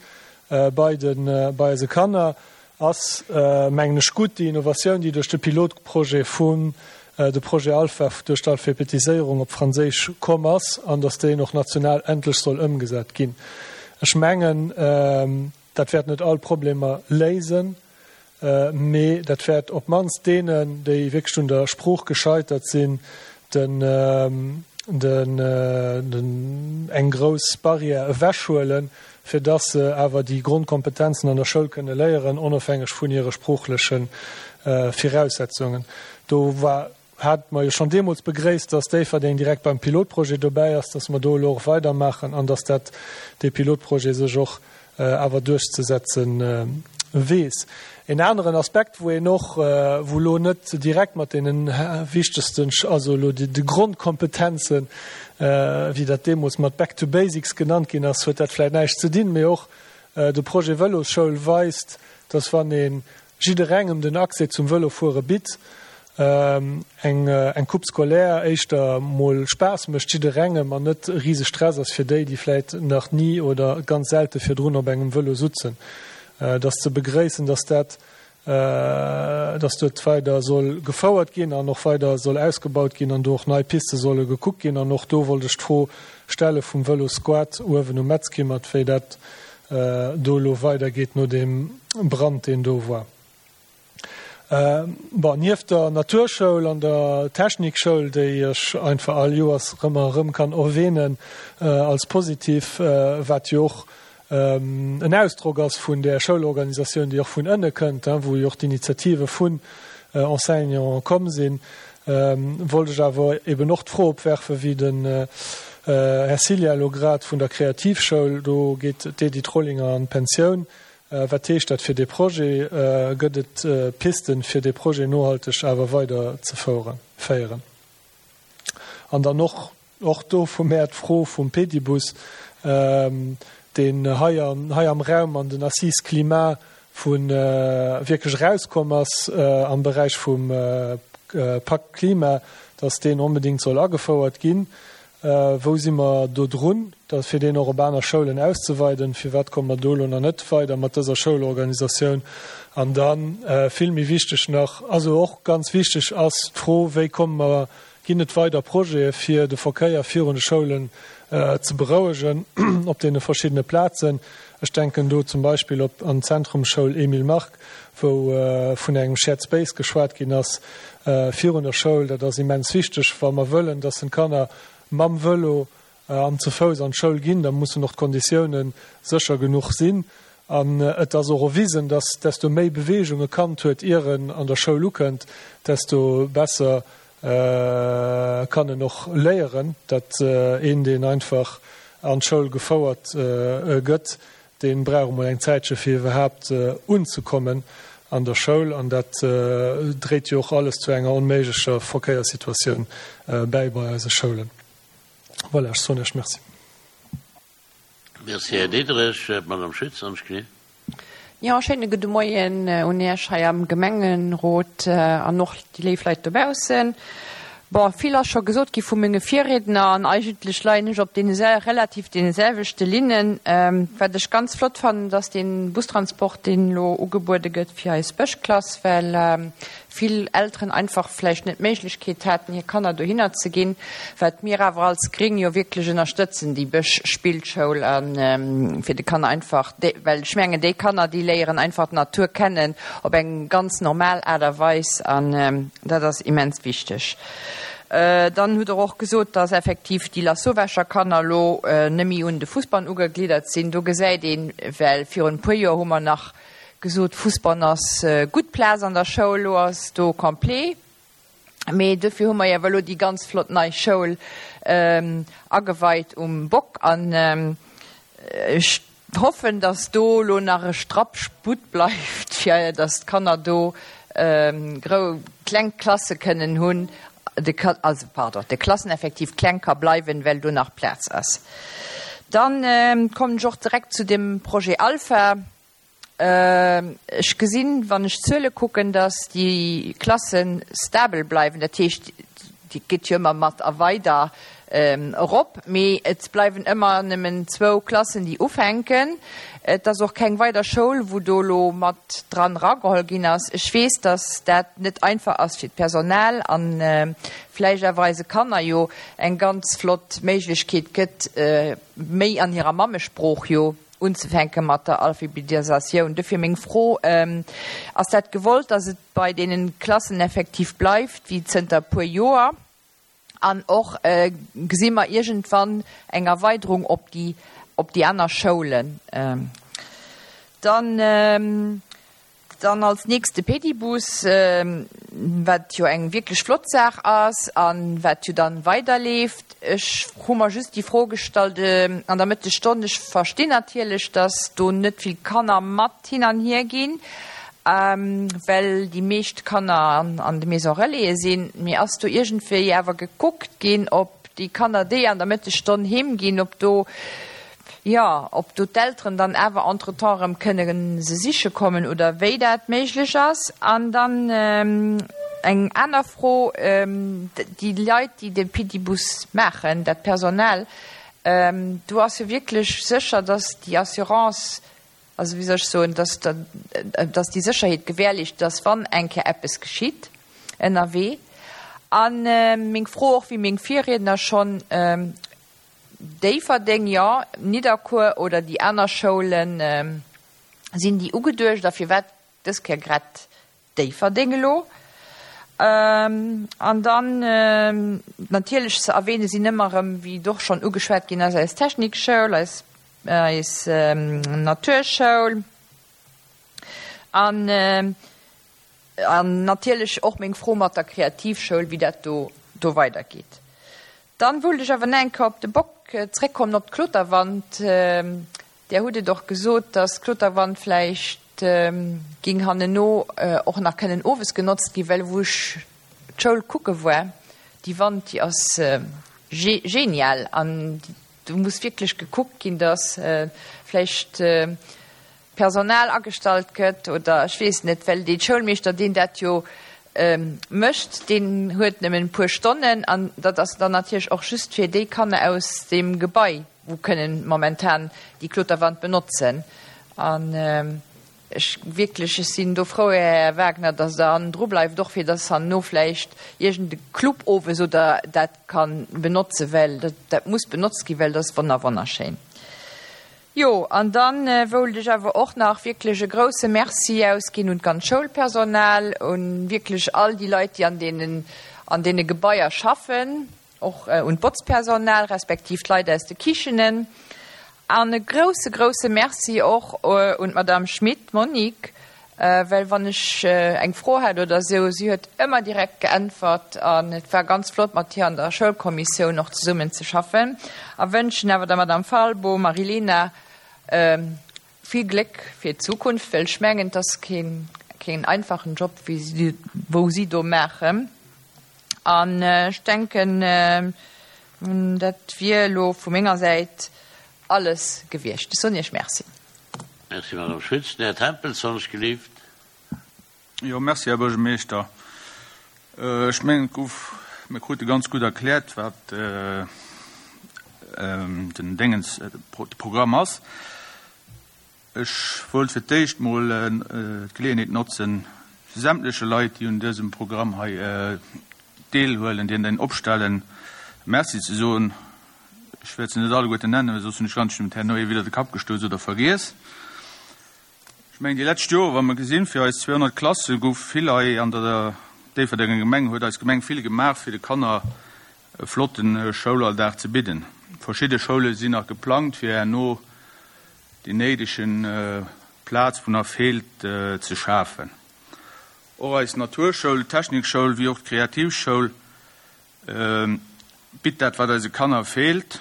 bei de bei eise Kanner, ass, mengen ech, gutt déi Innovatioun, déi duerch de Pilotprojet vun de Projet Alpha, duerch d'Alphabetiséierung op Franséisch komm ass an datt deen och national endlech soll ëmgesat ginn. Ech mengen, dat wäert net all Problemer léisen, Mee dat wäert op d'mannst deenen, déi wierklech un der Sprooch gescheitert sinn, eng grouss Barrière ewechhuelen, fir dass se awer déi Grondkompetenzen an der Schoul kënne léieren, onofhängeg vun hire sproochleche Viraussetzungen. Do war, hate mer jo schonn deemools begréisst, dass Déifferdeng direkt beim Pilotprojet dobäi ass, dass mer do elo och weidermaachen an dass dat, dee Pilotprojet sech och awer duerchzesetze. weess. En aneren Aspekt, wou een och, wou elo net direkt mat deene wichtegsten, also elo de Grondkompetenzen, wéi dat deemools mat Back to Basics genannt ginn ass, huet dat vläicht näischt ze dinn, mee och de Projet Vëlosschoul weist, dass wann ee jidderengem den Accès zum Vëlofuere bitt, eng eng Coupe scolaire éischter mol Spaass mécht jidderengem an net e rise Stress ass fir déi, déi vläit nach ni oder ganz selte virdrun op engem Vëlo sutzen. Et ass ze begréissen, dass dat, dass dat weider soll gefouert ginn an och weider soll ausgebaut ginn an do och nei Piste solle gekuckt ginn. An och do wollt ech d'Fro stelle vum Vëlosquad uewen um Metzkimmert, wéi dat do elo weidergeet no deem Brand, deen do war. Bon, nieft der Naturschoul an der Technikschoul, déi ech einfach all Joers erëm a erëm kann erwähnen als positiv, wat jo och en Ausdrock ass vun där Schoulorganisatioun, déi och vun ënne kënnt, wou jo och d'Initiative vun Enseignanten komm sinn, wollt ech awer eben och d'Fro opwerfen, wéi den Här Cilla elo grad vun der Kreativschoul, do geet d'Edith Rollinger an d'Pensioun, Wat heescht dat fir dee Projet? Gëtt et Pisten, fir dee Projet nohalteg awer weider ze féieren? An dann och och do vu mär d'Fro vum Pedibus, deen hei hei am Raum an den Assises Climat vu wierklech erauskomm ass am Beräich vum Pacte Klima, dass deen onbedéngt soll agefouert ginn. Wou si mer do drun, dat fir deen och op aner Schoulen auszeweiden? Firwat komme mer do elo nach net weider mat dëser Schoulorganisatioun? An da vill méi wichteg nach, also och ganz wichteg ass d'Fro, Wéi komme mer, ginn et weider Projete fir de Verkéier virun de Schoulen ze berouegen op deene verschiddene Plazen? Ech denken do zum Beispill op an d'Zentrumsschoul Emile Mark, wou vun engem Shared Space geschwat ginn ass virun der Schoul. Dat ass immens wichteg, wa mer wëllen, dass den d'Kanner mam Vëlo an ze Fouss an d'Schoul ginn, da mussen och d'Konditiounen sécher genuch sinn. An et ass och erwisen, dass desto méi Beweegung e Kand huet, ier en an der Schoul ukënnt, desto besser kann en och léieren. Dat een, deen einfach an d'Schoul gefouert gëtt, dee brauch emol eng Zäitche fir iwwerhaapt unzekommen an der Schoul. An dat dréit jo och alles zu enger onméiglecher Verkéierssituatioun bäi bei eise Schoulen. Voilà, ech soen Iech Merci.
Merci, Här Diderich. D'Madame Schütz an d'Knie.
Jo, schéine gudde Moien un Iech hei am Gemengerot an och déi léif Leit dobaussen. Bon, vill ass scho gesot gi vu menge Virriedner an eigentlech leien ech op deene relativ deene selwechte Linnen. Wat ech ganz flott fannen, dass dee Bustransport, deen elo ugebuede gëtt fir eis Bëschklass, well vill Elteren einfach vläicht net d'Méiglechkeet haten, hir Kanner dohinner ze ginn, wat mir awer als Gréng jo wierklech ënnerstëtzen, déi Bëschspillschoul, a fir de Kanner einfach, well ech mengen, déi Kanner, déi léieren einfach d'Natur kennen op eng ganz normal Aart a Weis an dat ass immens wichteg. Dann hutt Der och gesot, dass effektiv déi Lasauvescher Kanner elo net méi un de Fussbann ugegliddert sinn. Do gesäit een, well virun e puer Joer hu mer nach Gesot, Fussbann ass gutt Plaz an der Schoul, elo ass do complet. Mee dofir hu mer jo awer elo déi ganz flott nei Schoul ageweit um Bock an ech hoffen, datt do elo nach e Strapp Sputt bleift, fir datt d'Kanner do grou kleng Klasse kënnen hunn, de, also pardon, de Klasseneffektiv kleng ka bleiwen, well do nach Plaz ass. Dann kommen ech och direkt zu dem Projet Alpha. Ech gesinn, wann ech d'Zuele kucken, datt déi Klasse stabel bleiwen. Dat heescht, déi geet jo ëmmer mat a weider erop, mee et bleiwen ëmmer nëmmen zwou Klassen, déi ufänken. Et ass och keng weider Schoul, wou do elo mat dran erageholl ginn ass. Ech weess, datt dat net einfach ass fir d'Personal a vläicht awer eise Kanner jo eng ganz flott Méiglechkeet gëtt, méi an hirer Mammesprooch jo unzefänke mat der Alphabetisatioun. Dofir meng Fro, Ass dat gewollt, datt et bei deene Klassen effektiv bleift wéi zënter e puer Joer? An och, gesi mer iergendwann eng Erweiderung op déi, op déi aner Schoulen? Dann. Dann als nächst de Pedibus, wat jo eng wierklech flott Saach ass a wat jo dann weiderleeft. Ech hu mer just déi Fro gestallt an der Mëttesstonn, ech verstinn natierlech, dass do net vill Kanner mat hin an hier ginn, well déi meescht Kanner an de Maison Relaisen sinn, mee ass do iergendwéi awer gekuckt ginn, ob déi Kanner, déi an der Mëttesstonn heem ginn, ob do Jo, ob do d'Elteren dann awer entretemps erëm kënne se siche kommen oder wéi dat méiglech ass. An dann eng aner Fro, Déi Leit, déi de Pedibus maachen, dat Personal, do ass jo wierklech sécher, dass déi Assurance, also wéi soll ech soen, dass dass déi Sécherheet gewährleescht ass, wann eng Kéier eppes geschitt ënnerwee. A meng Fro och, wéi meng Virriedner schonn, Déifferdeng, jo, Nidderkuer oder déi aner Schoulen, sinn déi ugeduecht a firwat dës Kéier grad Déifferdeng elo? An dann natierlech ze erwähne sinn ëmmer erëm, wéi et och schonn ugeschwat ginn ass, eis Technikschoul, eis eis Naturschoul an An natierlech och meng Fro mat der Kreativschoul, wéi dat do do weidergeet. Dann wollt ech awer nach eng Kéier op de Bock zréckkommen, op d'Kloterwand. Där hutt et och gesot, dass d'Kloterwand vläicht géing hanneno och nach kënnen owes genotzt ginn, well wou ech d'Schoul kucke war, déi Wand, déi ass genial an do muss wierklech gekuckt ginn, dass vläicht Personal agestallt gëtt oder ech weess net, well dee Schoulmeeschter, deen dat jo mécht, deen huet nëmmen e puer Stonnen an dat ass dann natierlech och just fir déi Kanner aus deem Gebai, wou kënnen momentan déi Kloterwand benotzen. An ech wierklech, ech sinn do frou, Här Wagner, datt Der hannendru bleift, och fir datt herno vläicht iergend e Club owes oder dat ka benotzen, well dat muss benotzt ginn, well dat ass wonner wonnerschéin. Jo, an dann woult ech awer och nach wierklech e grouse Merci ausginn un d'ganz Schoulpersonal, un wierklech all déi Leit, déi an deenen, an deene Gebaier schaffen, och un d'Botzpersonal respektiv d'Leit aus de Kichenen. An e grouse, grouse Merci och un d'Madame Schmit Monique, well wann ech eng Fro hat oder esou, si huet ëmmer direkt geäntwert an et war ganz flott mat hir an der Schoulkommissioun och zesummen ze schaffen. A wënschen awer der Madame Falbo Marilena vill Gléck fir d'Zukunft, well ech mengen, et ass keen, keen einfachen Job, wéi si, wou si do maachen. An ech denken, dat wier elo vu menger Säit alles gewiescht. Ech soen Iech Merci.
Merci, Madame Schütz. Den Här Tempels, wann ech gelift.
Jo, merci, Här Buergermeeschter. Ech mengen, et gouf, mir krute ganz gutt erkläert, wat den Déngens, de Programm ass. Ech wollt fir d'éischt mol d'Geleeënheet notzen, sämtleche Leit, déi un dësem Programm hei deelhuelen, déi en opstellen, Merci ze soen. Ech wäert se net alleguerten nennen, well soss hunn ech ganz bestimmt herno ee widder de Kapp gestouss oder vergiess. Ech mengen, déi lescht Joer, wa mer gesinn, fir eis 200 Klasse gouf vill hei an der Déifferdenger Gemeng, huet eis Gemeng vill gemaach, fir de Kanner e flotte Schoulalldag ze bidden. Verschidde Schoule sinn nach geplangt, fir herno déi néidege Plaz, wou nach feelt, ze schafen. Och eis Naturschoul, d'Technikschoul wéi och d'Kreativschoul bitt dat, wat eise Kanner feelt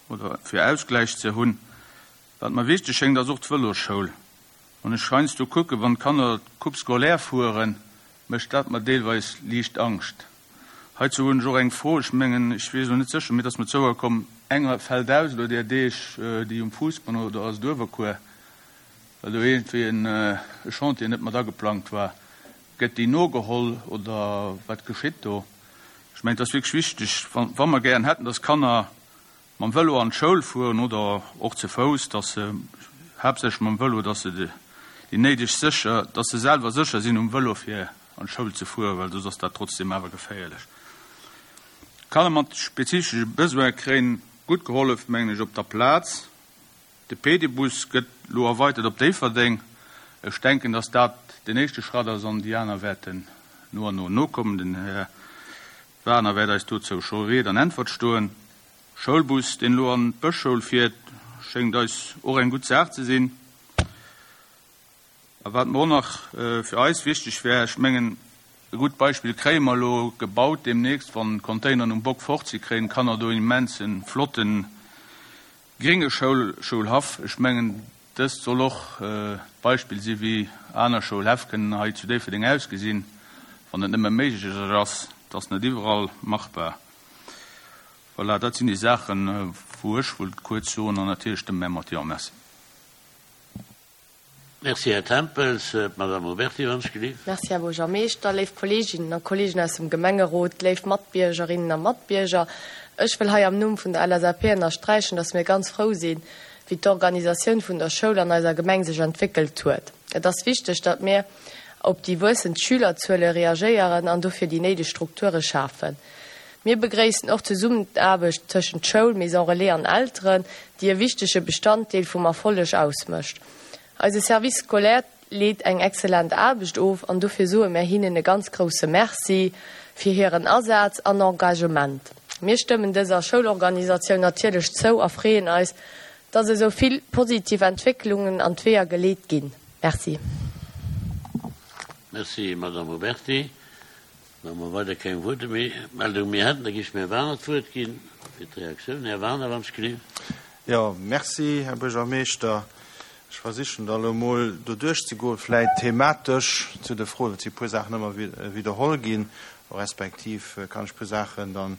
oder fir Ausgläich ze hunn. Wat mer wichteg schéngt, ass och d'Vëlosschoul. Wann ech heiansdo kucken, wann d'Kanner d'Coupe scolaire fueren, mécht dat mer deelweis liicht Angscht. Heizou hunn ech och eng Fro. Ech mengen, ech weess elo net sécher, mee et ass mer zouerkomm, enger fält aus elo där Deeg, déi um Fuussbann oder ass et Uewerkuer, well do iergendwéi e Chantier net mat ageplangt war. Gëtt déi nogeholl oder wat geschitt do? Ech mengen, et ass wierklech wichteg, wa mer gären hätten, dass Kanner mam Vëlo an d'Schoul fueren oder och ze Fouss, dass se, haaptsächlech mam Vëlo, dass se déi néideg sécher, dass se selwer sécher sinn um Vëlo fir an d'Schoul ze fueren, well soss ass dat trotzdeem awer geféierlech. Kanner mat spezifesche Besoine kréien gutt gehollef, mengen ech, op der Plaz. De Pedibus gëtt elo erweitert op Déifferdeng. Ech denken, dass dat den éischte Schratt ass an déi aner wäerten no an no nokommen. Den Här Wagner wäert eis dozou scho Ried an Äntwert stoen. Schoulbus, deen elo an d'Bëschschoul fiert, schéngt eis och eng gutt Saach ze sinn. A wat mer och nach fir eis wichteg wär, ech mengen, e gutt Beispill kréie mer elo gebaut deemnächst, wann d'Containeren um Bock fort si kréien d'Kanner do en immense flotte grénge Schoulhaff. Ech mengen, dëst soll och d'Beispill si wéi aner Schoulhäff kënnen hei zu Déifferdeng ausgesinn, wann et nëmme méiglech ass. Et ass net iwwerall machbar. Voilà, dat sinn déi Saachen, wou ech wollt kuerz soen an natierlech stëmme mär mat Jo. Merci.
Merci, Här Tempels. D'Madame Oberti, wann ech gelift.
Merci, Här Buergermeeschter, léif Kolleeginnen a Kolleegen aus dem Gemengerot, léif Matbiergerinnen a Matbierger. Ech wëll hei am Numm vun der LSAP ënnersträichen, dass mir ganz frou sinn, wéi d'Organisatioun vun der Schoul an eiser Gemeng sech entwéckelt huet. Et ass wichteg, datt mir op déi wuessend Schülerzuele reagéieren an dofir déi néideg Strukture schafen. Mir begréissen och d'Zesummenaarbecht tëschent Schoul, Maison Relais an Elteren, déi e wichtege Bestanddeel vum Erfolleg ausmécht. Eise Service scolaire leet eng excellent Aarbecht of an dofir soe mär hinnen e ganz grousse Merci fir hiren Asaz an Engagement. Mir stëmmen dëser Schoulorganisatioun natierlech zou a freeën eis, dass esou vill positiv Entwécklungen an d'Weeër geleet ginn. Merci.
Merci, Madame Oberti. Wa mer weider keng Wuertmeldung méi hätten, da géif ech dem Här Wagener d'Wuert ginn fir d'Reaktioun. Här Wagener, wann ech gelift.
Jo, merci, Här Buergermeeschter. Ech versichen da elo emol do duerchzegoen, vläicht thematesch zu de Froen. Et si e puer Saachen ëmmer widderholl ginn, respektiv kann ech e puer Saachen dann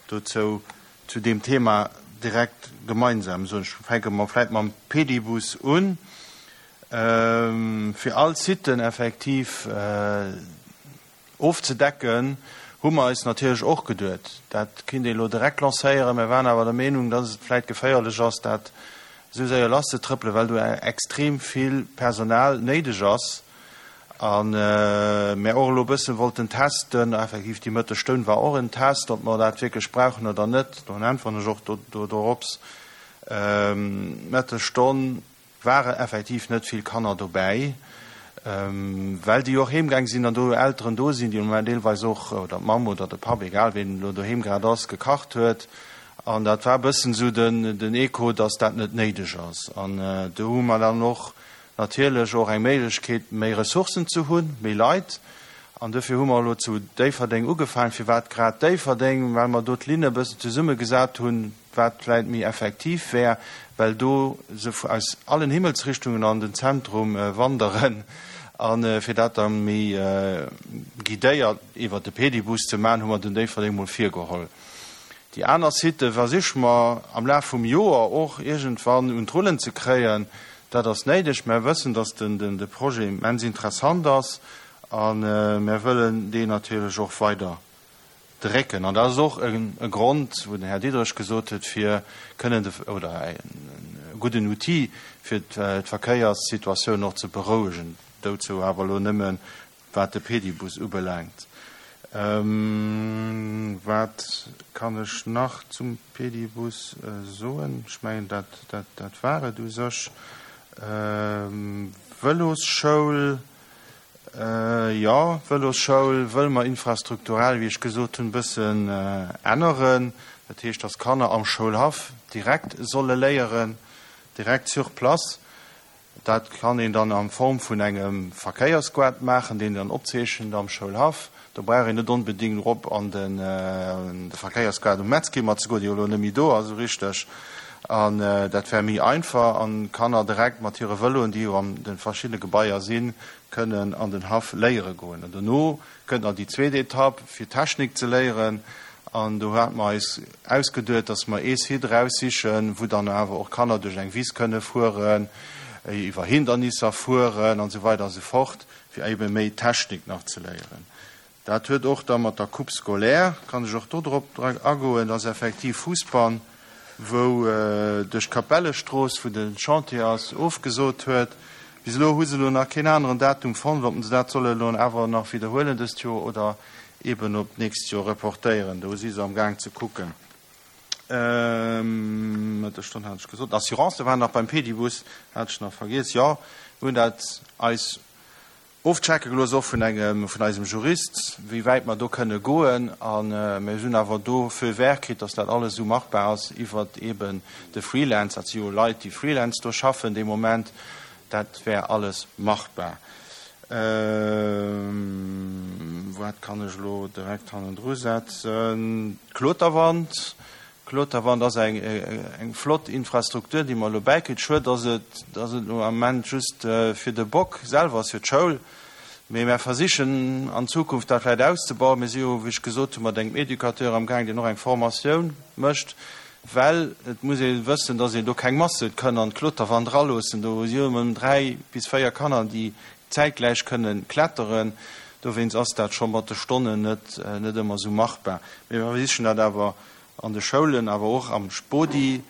dozou zu deem Thema direkt gemeinsam soen. Ech fänke mol vläicht mam Pedibus un. Fir all Siten effektiv ofzedecken, hu mer eis natierlech och geduet, dat kinnt ee lo direkt lancéieren. Mir waren awer der Meenung, dass et vläit geféierlech ass, dat esou séier lasszetrëppelen, well do extrem vill Personal néideg ass a mir och elo e bësse wollten testen, effektiv déi Mëttesstonn war och en Test, ob mer dat wierklech brauchen oder net. Dann äntweren ech och dorops. D'Mëttesstonn Ware effektiv net vill Kanner dobäi, well déi och heemgaang sinn an do Elteren do sinn, déi am Moment deelweis och, oder d'Mamm oder de Papp, egal ween elo doheem grad ass, gekacht huet. An dat war e bëssen esou den Echo, dass dat net néideg ass. An do hu mer dann och natierlech och eng Méiglechkeet, méi Ressourcen ze hunn, méi Leit. An dofir hu mer elo zu Déifferdeng ugefaangen. Firwat grad Déifferdeng? Well mer do d'Linne e bëssen zesummegesat hunn, wat vläit méi effektiv wär, well do se aus allen Himmelsrichtungen an den Zentrum wanderen. A fir dat da méi guidéiert iwwert de Pedibus ze maachen, hu mer den Déifferdeng mol virgeholl. Déi aner Sitë versiche mer am Laf vum Joer och iergendwann un d'Rullen ze kréien. Dat ass néideg. Mer wëssen, datt de Projet immens interessant ass a mer wëllen deen natierlech och weider drécken. An dat ass och e Grond, wou den Här Diderich gesot huet, fir kënnen de, oder e gudden Outil, fir d'Verkéierssituatioun och ze berouegen. Dozou awer elo nëmme wat de Pedibus ubelaangt. Wat kann ech nach zum Pedibus soen? Ech mengen, dat, dat, dat war et u sech. Vëlosschoul. Jo, d'Vëlosschoul wëlle mer infrastrukturell, wéi ech gesot hunn, e bëssen änneren. Dat heescht, dass d'Kanner am Schoulhaff direkt solle léieren, direkt sur place. Dat kann een dann a Form vun engem Verkéiersgoart maachen, deen een dann opzeechent am Schoulhaff. Do brauch een net onbedéngt erop an de Verkéiersgoart um Metzkimmert ze goen, dee jo elo net méi do ass esou richteg. An dat wär méi einfach an d'Kanner direkt mat hire Vëloen, déi jo an de verschiddene Gebaier sinn, kënnen an den Haff léiere goen. An dono kënnt nach déi zweet Etapp, fir Technik ze léieren. An do hate mer eis ausgeduet, dass mer ee Site eraussichen, wou dann awer och d'Kanner duerch eng Wiss kënne fueren, iwwer Hindernisser fueren an esou weider a sou fort, fir ebe méi Technik nach ze léieren. Dat huet och da mat der Coupe scolaire, kann ech och do drop agoen, dat ass effektiv Fussbann, wou duerch d'Kapellestrooss, wou de Chantier ass, ofgesot huet. Bis elo hu se elo nach keen aneren Datum fonnt, ob se dat solle elo awer nach widderhuelen dëst Joer oder eben op d'nächst Joer reportéieren. Do si se am Gaang ze kucken. Mëttesstonn hat ech gesot. D'Assurancë waren nach beim Pedibus, hat ech nach vergiess. Jo, mir hunn dat eis Ofchecke gelooss, och vun engem, vun eisem Jurist, wéi wäit mer do kënne goen. A mir hunn awer do Feu vert kritt, dass dat alles esou machbar ass iwwert eeben de Freelance. Dat si jo Leit, déi Freelance do schaffen dee Moment. Dat wär alles machbar. Wat kann ech elo direkt hannendru setzen? D'Kloterwand. D'Kloterwand ass eng, eng flott Infrastruktur, déi mer elo bäikritt. Schued, dass et, dass et elo am Ament just fir de Bock selwer ass, fir d'Schoul. Mee mär versichen an Zukunft dat vläicht auszebauen. Mir si jo, wéi ech gesot hunn, mat engem Educateur amgaang, deen och eng Formatioun mécht, well et muss ee wëssen, dass een do keng Masse kënn an d'Kloterwand eraloossen. Do si jo ëm 3 bis 4 Kanner, déi zäitgläich kënnen kletteren. Dowéinst ass dat scho mat de Stonnen net, net ëmmer esou machbar. Mee mir versichen dat awer an de Schoulen, awer och am Spodi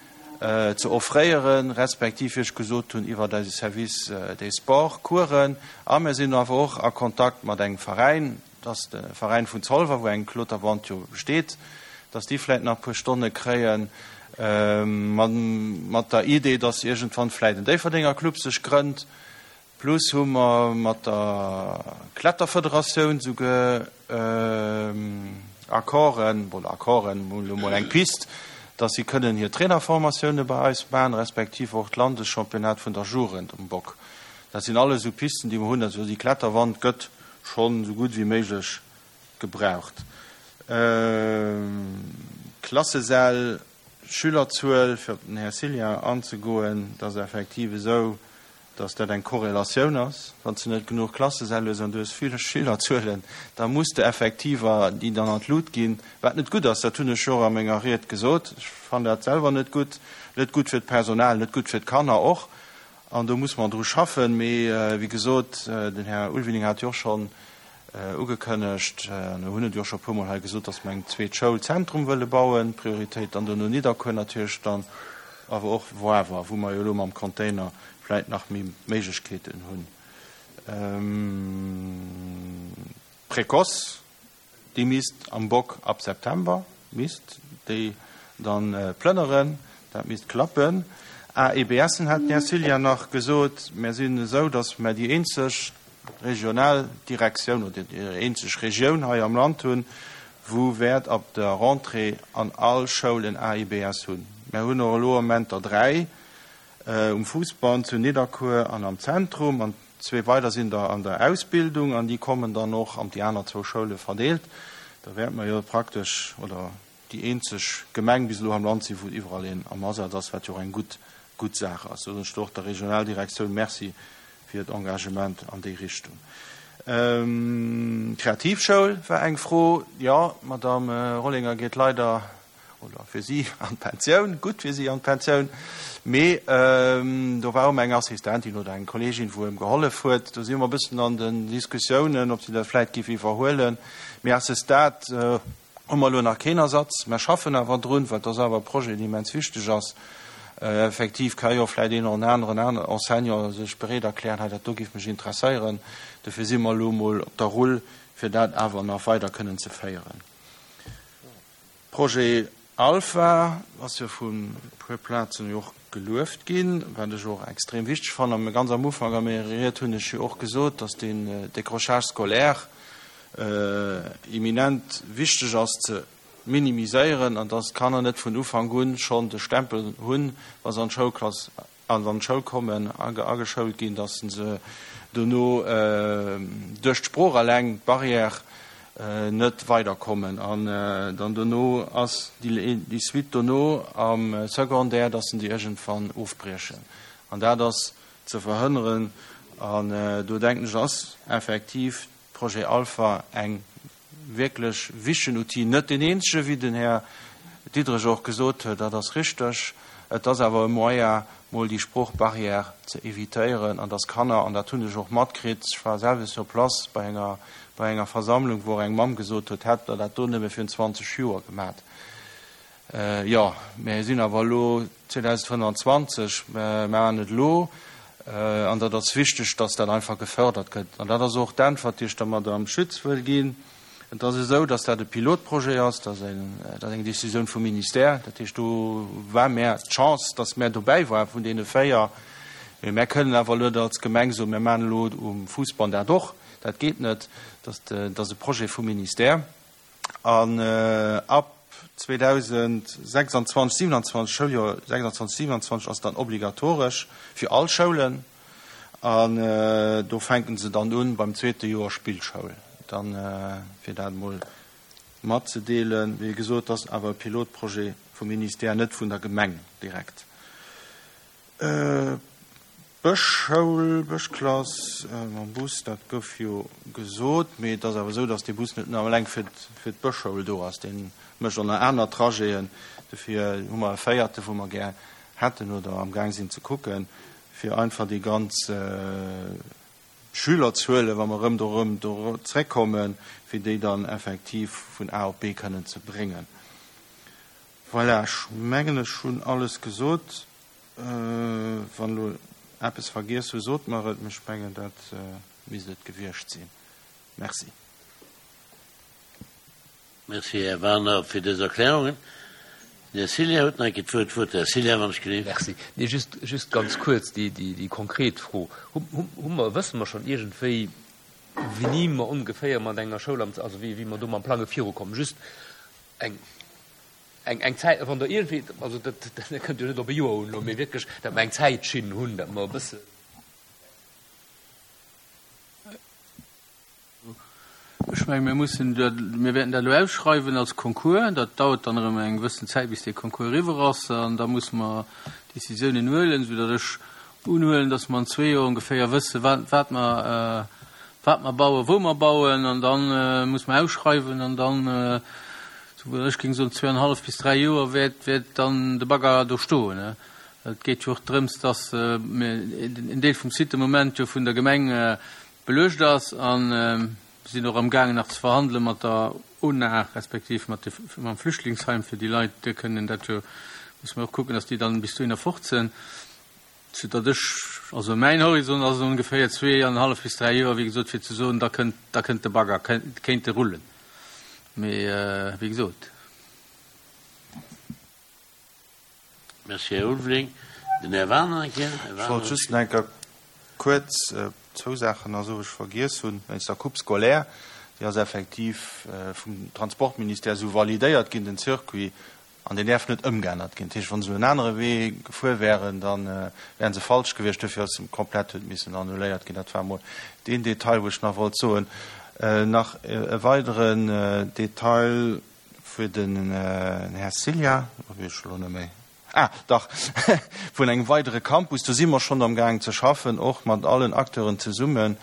ze offréieren, respektiv, wéi ech gesot hunn, iwwert eise Service des Sports Coursen. A mir sinn awer och a Kontakt mat engem Veräin, dat ass de Veräin vun Zolwer, wou eng Kloterwand jo besteet, dass déi vläicht nach e puer Stonne kréien, mat der Idee, dass iergendwann vläicht en Déifferdenger Club sech grënnt. Plus hu mer mat der Kletterfederatioun souguer Accorden, oder Accorden, mol elo mol eng Pist, dass si kënnen hir Trainerformatioune bei eis maachen, respektiv och d'Landeschampionnat vun der Jugend um Bock. Dat sinn alles esou Pisten, déi mer hunn. Also déi Kletterwand gëtt schonn esou gutt wéi méiglech gebraucht. Klassesäll, Schülerzuel, fir op den Här Cillien anzegoen, dat ass effektiv esou, dass dat eng Korrelatioun ass. Wann s de net genuch Klassesäll hues an du hues vill Schülerzuelen, da muss de Effektiver, déi dann an d'Lut ginn, wat net gutt ass. Dat hunn ech jo och a menger Ried gesot. Ech fannen dat selwer net gutt, net gutt fir d'Personal, net gutt fir d'Kanner och. An do muss mer dru schaffen. Mee wéi gesot, den Här Ulveling hat jo och schonn ugekënnegt, an mir hunn et jo och scho e puermol hei gesot, dass mer eng zweet Schoul Zentrum wëlle bauen, Prioritéit dann duerno Nidderkuer natierlech dann, awer och Woawer, wou mer jo elo mam Container vläit nach méi Méiglechkeeten hunn. D'Précoce, déi misst am Bock ab September, misst déi dann plënneren, dat misst klappen. AEBSen hat den Här Cillien nach gesot. Mär sinn esou, datt mär déi eenzeg regional Direktioun oder déi eenzeg Regioun hei am Land hunn, wou wäert ab der Rentrée an all Schoul en AEBS hunn. Mär hunn och elo am Moment der 3 um Fousbann, zu Nidderkuer an am Zentrum. An zwee weider sinn der an der Ausbildung an déi kommen dann och an déi aner zwou Schoule verdeelt. Da wäerte mer jo praktesch oder déi eenzeg Gemeng bis elo am Land sinn, wou iwwerall een am Asaz ass, wat jo och eng gutt, gutt Saach ass. Do soen ech och der Regionaldirektioun Merci fir hiert Engagement an déi Richtung. D'Kreativschoul war eng Fro. Jo, d'Madame Rollinger geet leider oder fir si an d'Pensioun, gutt fir si an d'Pensioun, mee do war och eng Assistentin oder eng Kolleegin, wou ëm gehollef huet. Do si mer e bëssen an den Diskussiounen, ob si dat vläit géif iwwerhuelen. Mee à ce stade hu mer elo nach keen Ersatz. Mer schaffen awer drun, well et ass awer e Projet, deen immens wichteg ass. Effektiv ka jo vläit een oder aneren Enseignant sech bereet erklären, hei dat do géif mech interesséieren. Dofir si mer elo emol op der Rull, fir dat awer nach weider kënnen ze féieren. Projet Alpha ass jo vu puer Plazen jo och gelueft ginn, wat ech och extrem wichteg fannen. A ganz am Ufank a menger Ried hunn ech jo och gesot, dass deen Décrochage scolaire eminent wichteg ass ze minimiséieren an dass d'Kanner net vun Ufank un schonn de Stempel hunn, wa se an d'Schoulklass an an d'Schoul kommen, ageschoult ginn, datt se dono duerch d'Sprooch eleng, d'Barrière, net weiderkommen. An dann dono ass déi Suite dono am Secondaire, datt se déi iergendwann ofbriechen. An dat ass ze verhënneren. An do denken ech, ass effektiv Projet Alpha eng wierklech wichtegen Outil, net deen eenzege, wéi den Här Diderich och gesot huet, dat ass richteg. Et ass awer e Moyen, mol déi Sproochbarrière ze évitéieren an dass Kanner, an dat hunn ech och matkritt, ech war selwer sur place bei enger, bei enger Versammlung, wou och eng Mamm gesot huet, hätt Der dat do nëmme virun 20 Joer gemat. Jo, mir sinn awer elo 2025, mir maachen et elo an dat ass wichteg, dass dat einfach gefördert gëtt. An dat ass och d'Äntwert, déi ech der Madamm Schütz wëll ginn. Et ass esou, dass dat e Pilotprojet ass, dat ass eng Décisioun vum Ministère. Dat heescht, do war mär d'Chance, dass mär dobäi waren vun deene 4. Mee mär kënnen awer elo net als Gemeng soen, mir maachen elo um Fousbann dat och. Dat geet net. Dat ass e Projet vum Ministère. An ab 2026, 27, Schouljoer 26, 27 ass dann obligatoresch fir all Schoulen. An do fänken se dann un beim zweete Joer Spillschoul. Dann, fir dat emol matzedeelen, wéi gesot, dat ass awer e Pilotprojet vum Ministère, net vun der Gemeng direkt. Bëschschoul, Bëschklass mam Bus, dat gouf jo gesot, mee et ass awer esou, datt dee Bus net nëmme eleng fir d'Bëschschoul do ass, dee mécht och nach aner Trajeten. Dofir hu mer e véierte, wou mer gär hätten oder amgaang sinn ze kucken, fir einfach déi ganz Schülerzuelen, wa mer erëm do erëm do zréckkommen, fir déi dann effektiv vun A op B kënnen ze bréngen. Voilà, ech mengen, ech hunn alles gesot. Wann elo eppes vergiess hu, sot mer et, mee ech mengen, dat misst et gewiescht sinn. Merci.
Merci, Här Werner, fir dës Erklärungen. Den Här Cillien huet nach eng Kéier d'Wuert. D'Wuert, Här Cillien, wann ech geleeft.
Merci. Nee, just, just ganz kuerz déi, déi, déi konkret Fro. Hu, hu, hu mer, wësse mer schonn iergendwéi, wéini mer ongeféier mat enger Schoul am, also wéi, wéi mer do mam Plange virukommen? Just eng. Eng, eng Zäit, wann Der iergendwéi, also dat, dat kënnt jo net op e Joer un elo, mee wierklech, datt mer eng Zäitschinn hunn, datt mer e bësse.
Ech menge mir mussen dat, mir wäerten dat elo ausschreiwen als Concours. Dat dauert dann erëm eng gewëssen Zäit, bis dee Concours eriwwer ass an da musse mer Décisiounen huelen, soudatt ech unhuelen, datt mer an zwee Joer ongeféier wësse wat, wat mer, wat mer bauen, wou mer bauen an da musse mer ausschreiwen an dann, Souwuel ech géing soen, zweeanenhallef bis dräi Joer wäert, wäert dann de Bagger do stoen. Et geet jo och drëms, dass en Deel vum Site de Moment jo vun der Gemeng beluecht ass a mir sinn och amgaangen nach ze verhandele mat der ONA respektiv mat de, mam Flüchtlingsheim, fir déi Leit kënnen dat jo, musse mer och kucken, dass déi dann bis dohinner fort sinn. Soudatt ech, also mäin Horizont ass ongeféier zweeanenhallef bis dräi Joer, wéi gesot, fir ze soen, da kënnt, da kënnt de Bagger, kéint e rullen. Mee wéi gesot.
Merci, Här Ulveling. Den Här Werner eng Kéier. Här
Ech wollt
Werner.
just nach eng Kéier kuerz zwou Saachen nach soen, wou ech vergiess hunn. Wéinst der Coupe scolaire, déi ass effektiv vum Transportministère esou validéiert ginn, den Circuit. An deen däerf net ëmgeännert ginn. Dat heescht, wa se elo en anere Wee gefuer wären, da wäre se falsch gewiescht. Duerfir ass e komplett huet missen annuléiert ginn. Dat war emol deen Detail, wou ech nach wollt soen. Nach e weideren Detail fir den Här Cilla, do weess ech elo net méi, ah dach, vun engem weidere Campus. Do si mer schonn amgaangen ze schaffen, och mat allen Acteuren zesummen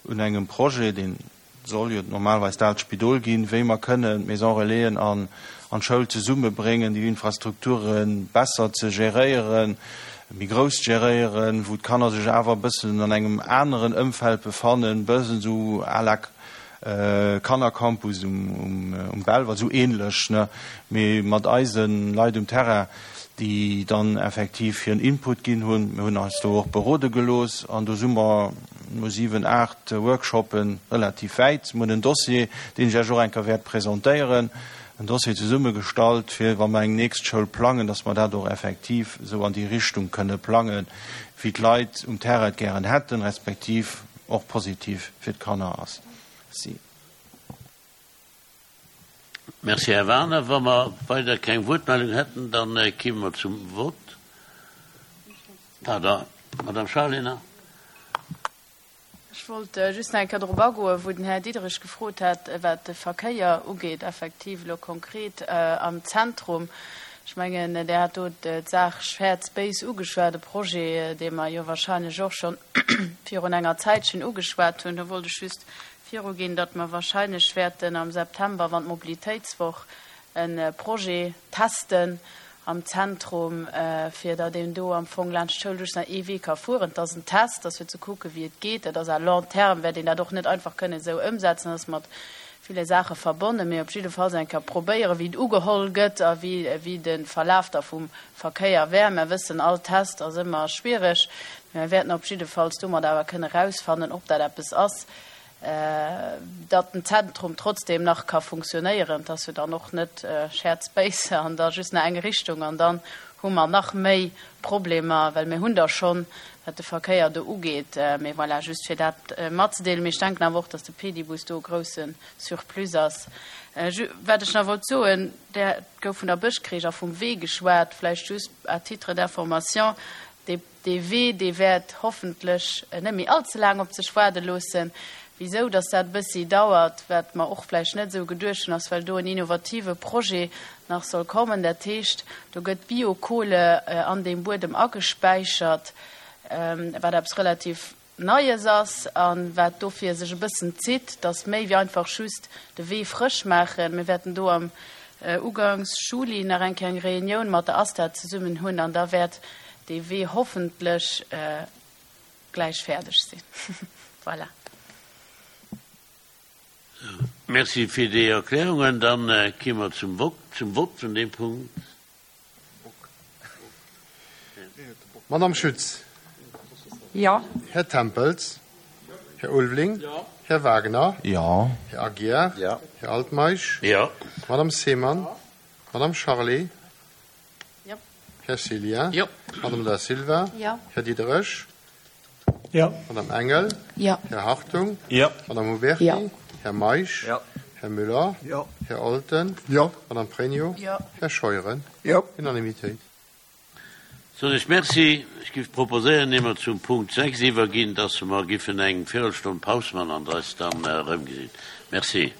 un engem Projet, deen soll jo normalerweis d'Aalt Spidol ginn, wéi mer kënnen d'Maison Relaisen an d'Schoul zesummebréngen, déi Infrastrukture besser ze geréieren, méi grouss geréieren, wou d'Kanner sech awer e bëssen an engem aneren Ëmfeld befannen, e bëssen esou à la Kannercampus um Belval, esou ähnlech, ne, mee mat eise Leit um Terrain, déi dann effektiv hiren Input ginn hunn. Mir hunn eis do och berode gelooss an do si mer no 7, 8 Workshoppe relativ wäit. Mir hunn en Dossier, deen ech Iech och eng Kéier wäert presentéieren, en Dossier zesummegestallt, fir wa mer eng nächst Schoul plangen, dass mer dat och effektiv esou an déi Richtung kënne plangen, wéi d'Leit um Terrain et gären hätten, respektiv och positiv fir d'Kanner ass. Merci.
Merci, Här Werner. Wa mer weider keng Wuertmeldung hätten, da kéime mer zum Vott. Pardon, Madame Charlé nach.
Ech wollt just nach eng Kéier drop agoen, wou den Här Diderich gefrot hat, wat de Verkéier ugeet, effektiv elo konkret am Zentrum. Ech mengen, Dir hat do d'Saach Shared Space ugeschwat, e Projet, dee mer jo wahrscheinlech och schonn virun enger Zäitchen ugeschwat hunn. Do wollt ech just viruginn, datt mer wahrscheinlech wäerten am September, wann d'Mobilitéitswoch, e Projet testen am Zentrum, fir datt een do am Fong laanscht d'Schoul just nach ee Wee ka fueren. Et ass en Test, ass fir ze kucken, wéi et geet. Dat ass à long terme wäert een dat och net einfach kënnen esou ëmsetzen, dat ass mat ville Saache verbonnen, mee op jiddefalls eng Kéier probéieren, wéi et ugeholl gëtt a wéi, wéi de Verlaf da vum Verkéier wär. Mer wëssen, all Test ass ëmmer schwierig, mee mer wäerten op jiddefalls domat awer kënne erausfannen, ob dat eppes ass, datt den Zentrum trotzdem nach ka funktionéieren. Et ass jo dann och net Shared Space an da just nach eng Richtung an dann hu mer nach méi Problemer, well mir hunn der schonn, wat de Verkéier do ugeet. Mee voilà, just fir dat matzedeelen. Mee ech denken awer och, datt de Pedibus do e grousse Surplus ass. Wat ech nach wollt soen, et gouf vun der Bëschkreech a vum Wee geschwat, vläicht just à titre d'information, dee. Dee Wee, dee wäert hoffentlech net méi all ze laang op sech waarde loossen. Wisou dass dat e bëssi dauert, wat mer och vläicht net esou geduecht hunn, ass well do en innovative Projet nach soll kommen. Dat heescht, do gëtt Biokohle an deem Buedem agespäichert, wat eppes relativ Neies ass a wat dofir sech e bëssen zitt, dass méi wéi einfach just de Wee frësch maachen. Mir wäerten do am ugangs Juli nach eng Kéier eng Reunioun mat der ASTA zesummen hunn an da wäert dee Wee hoffentlech gläich fäerdeg sinn. Voilà.
Merci fir déi Erklärungen. Dann gi mer zum Vott vun deem Punkt.
Madame Schütz.
Jo.
Här Tempels. Här Ulveling.
Jo.
Här Wagner.
Jo.
Här Aguiar.
Jo.
Här Altmeisch.
Jo.
Madame Seemann.
Jo.
Madame Charlé.
Jo.
Här Cillien.
Jo.
Madame Da Silva.
Jo.
Här Diderich.
Jo.
Madame Engel.
Jo.
Här Hartung.
Jo.
Madame Huberty.
Jo.
Här Meisch.
Jo.
Här Müller.
Jo.
Här Olten.
Jo.
Madame Pregno.
Jo.
Här Scheuren.
Jo.
Unanimitéit.
Soen ech Merci. Ech giff proposéieren, ier mer zum Punkt 6 iwwerginn, dass mer giffen eng Virelstonn Paus man an eis dann erëmgesinn. Merci.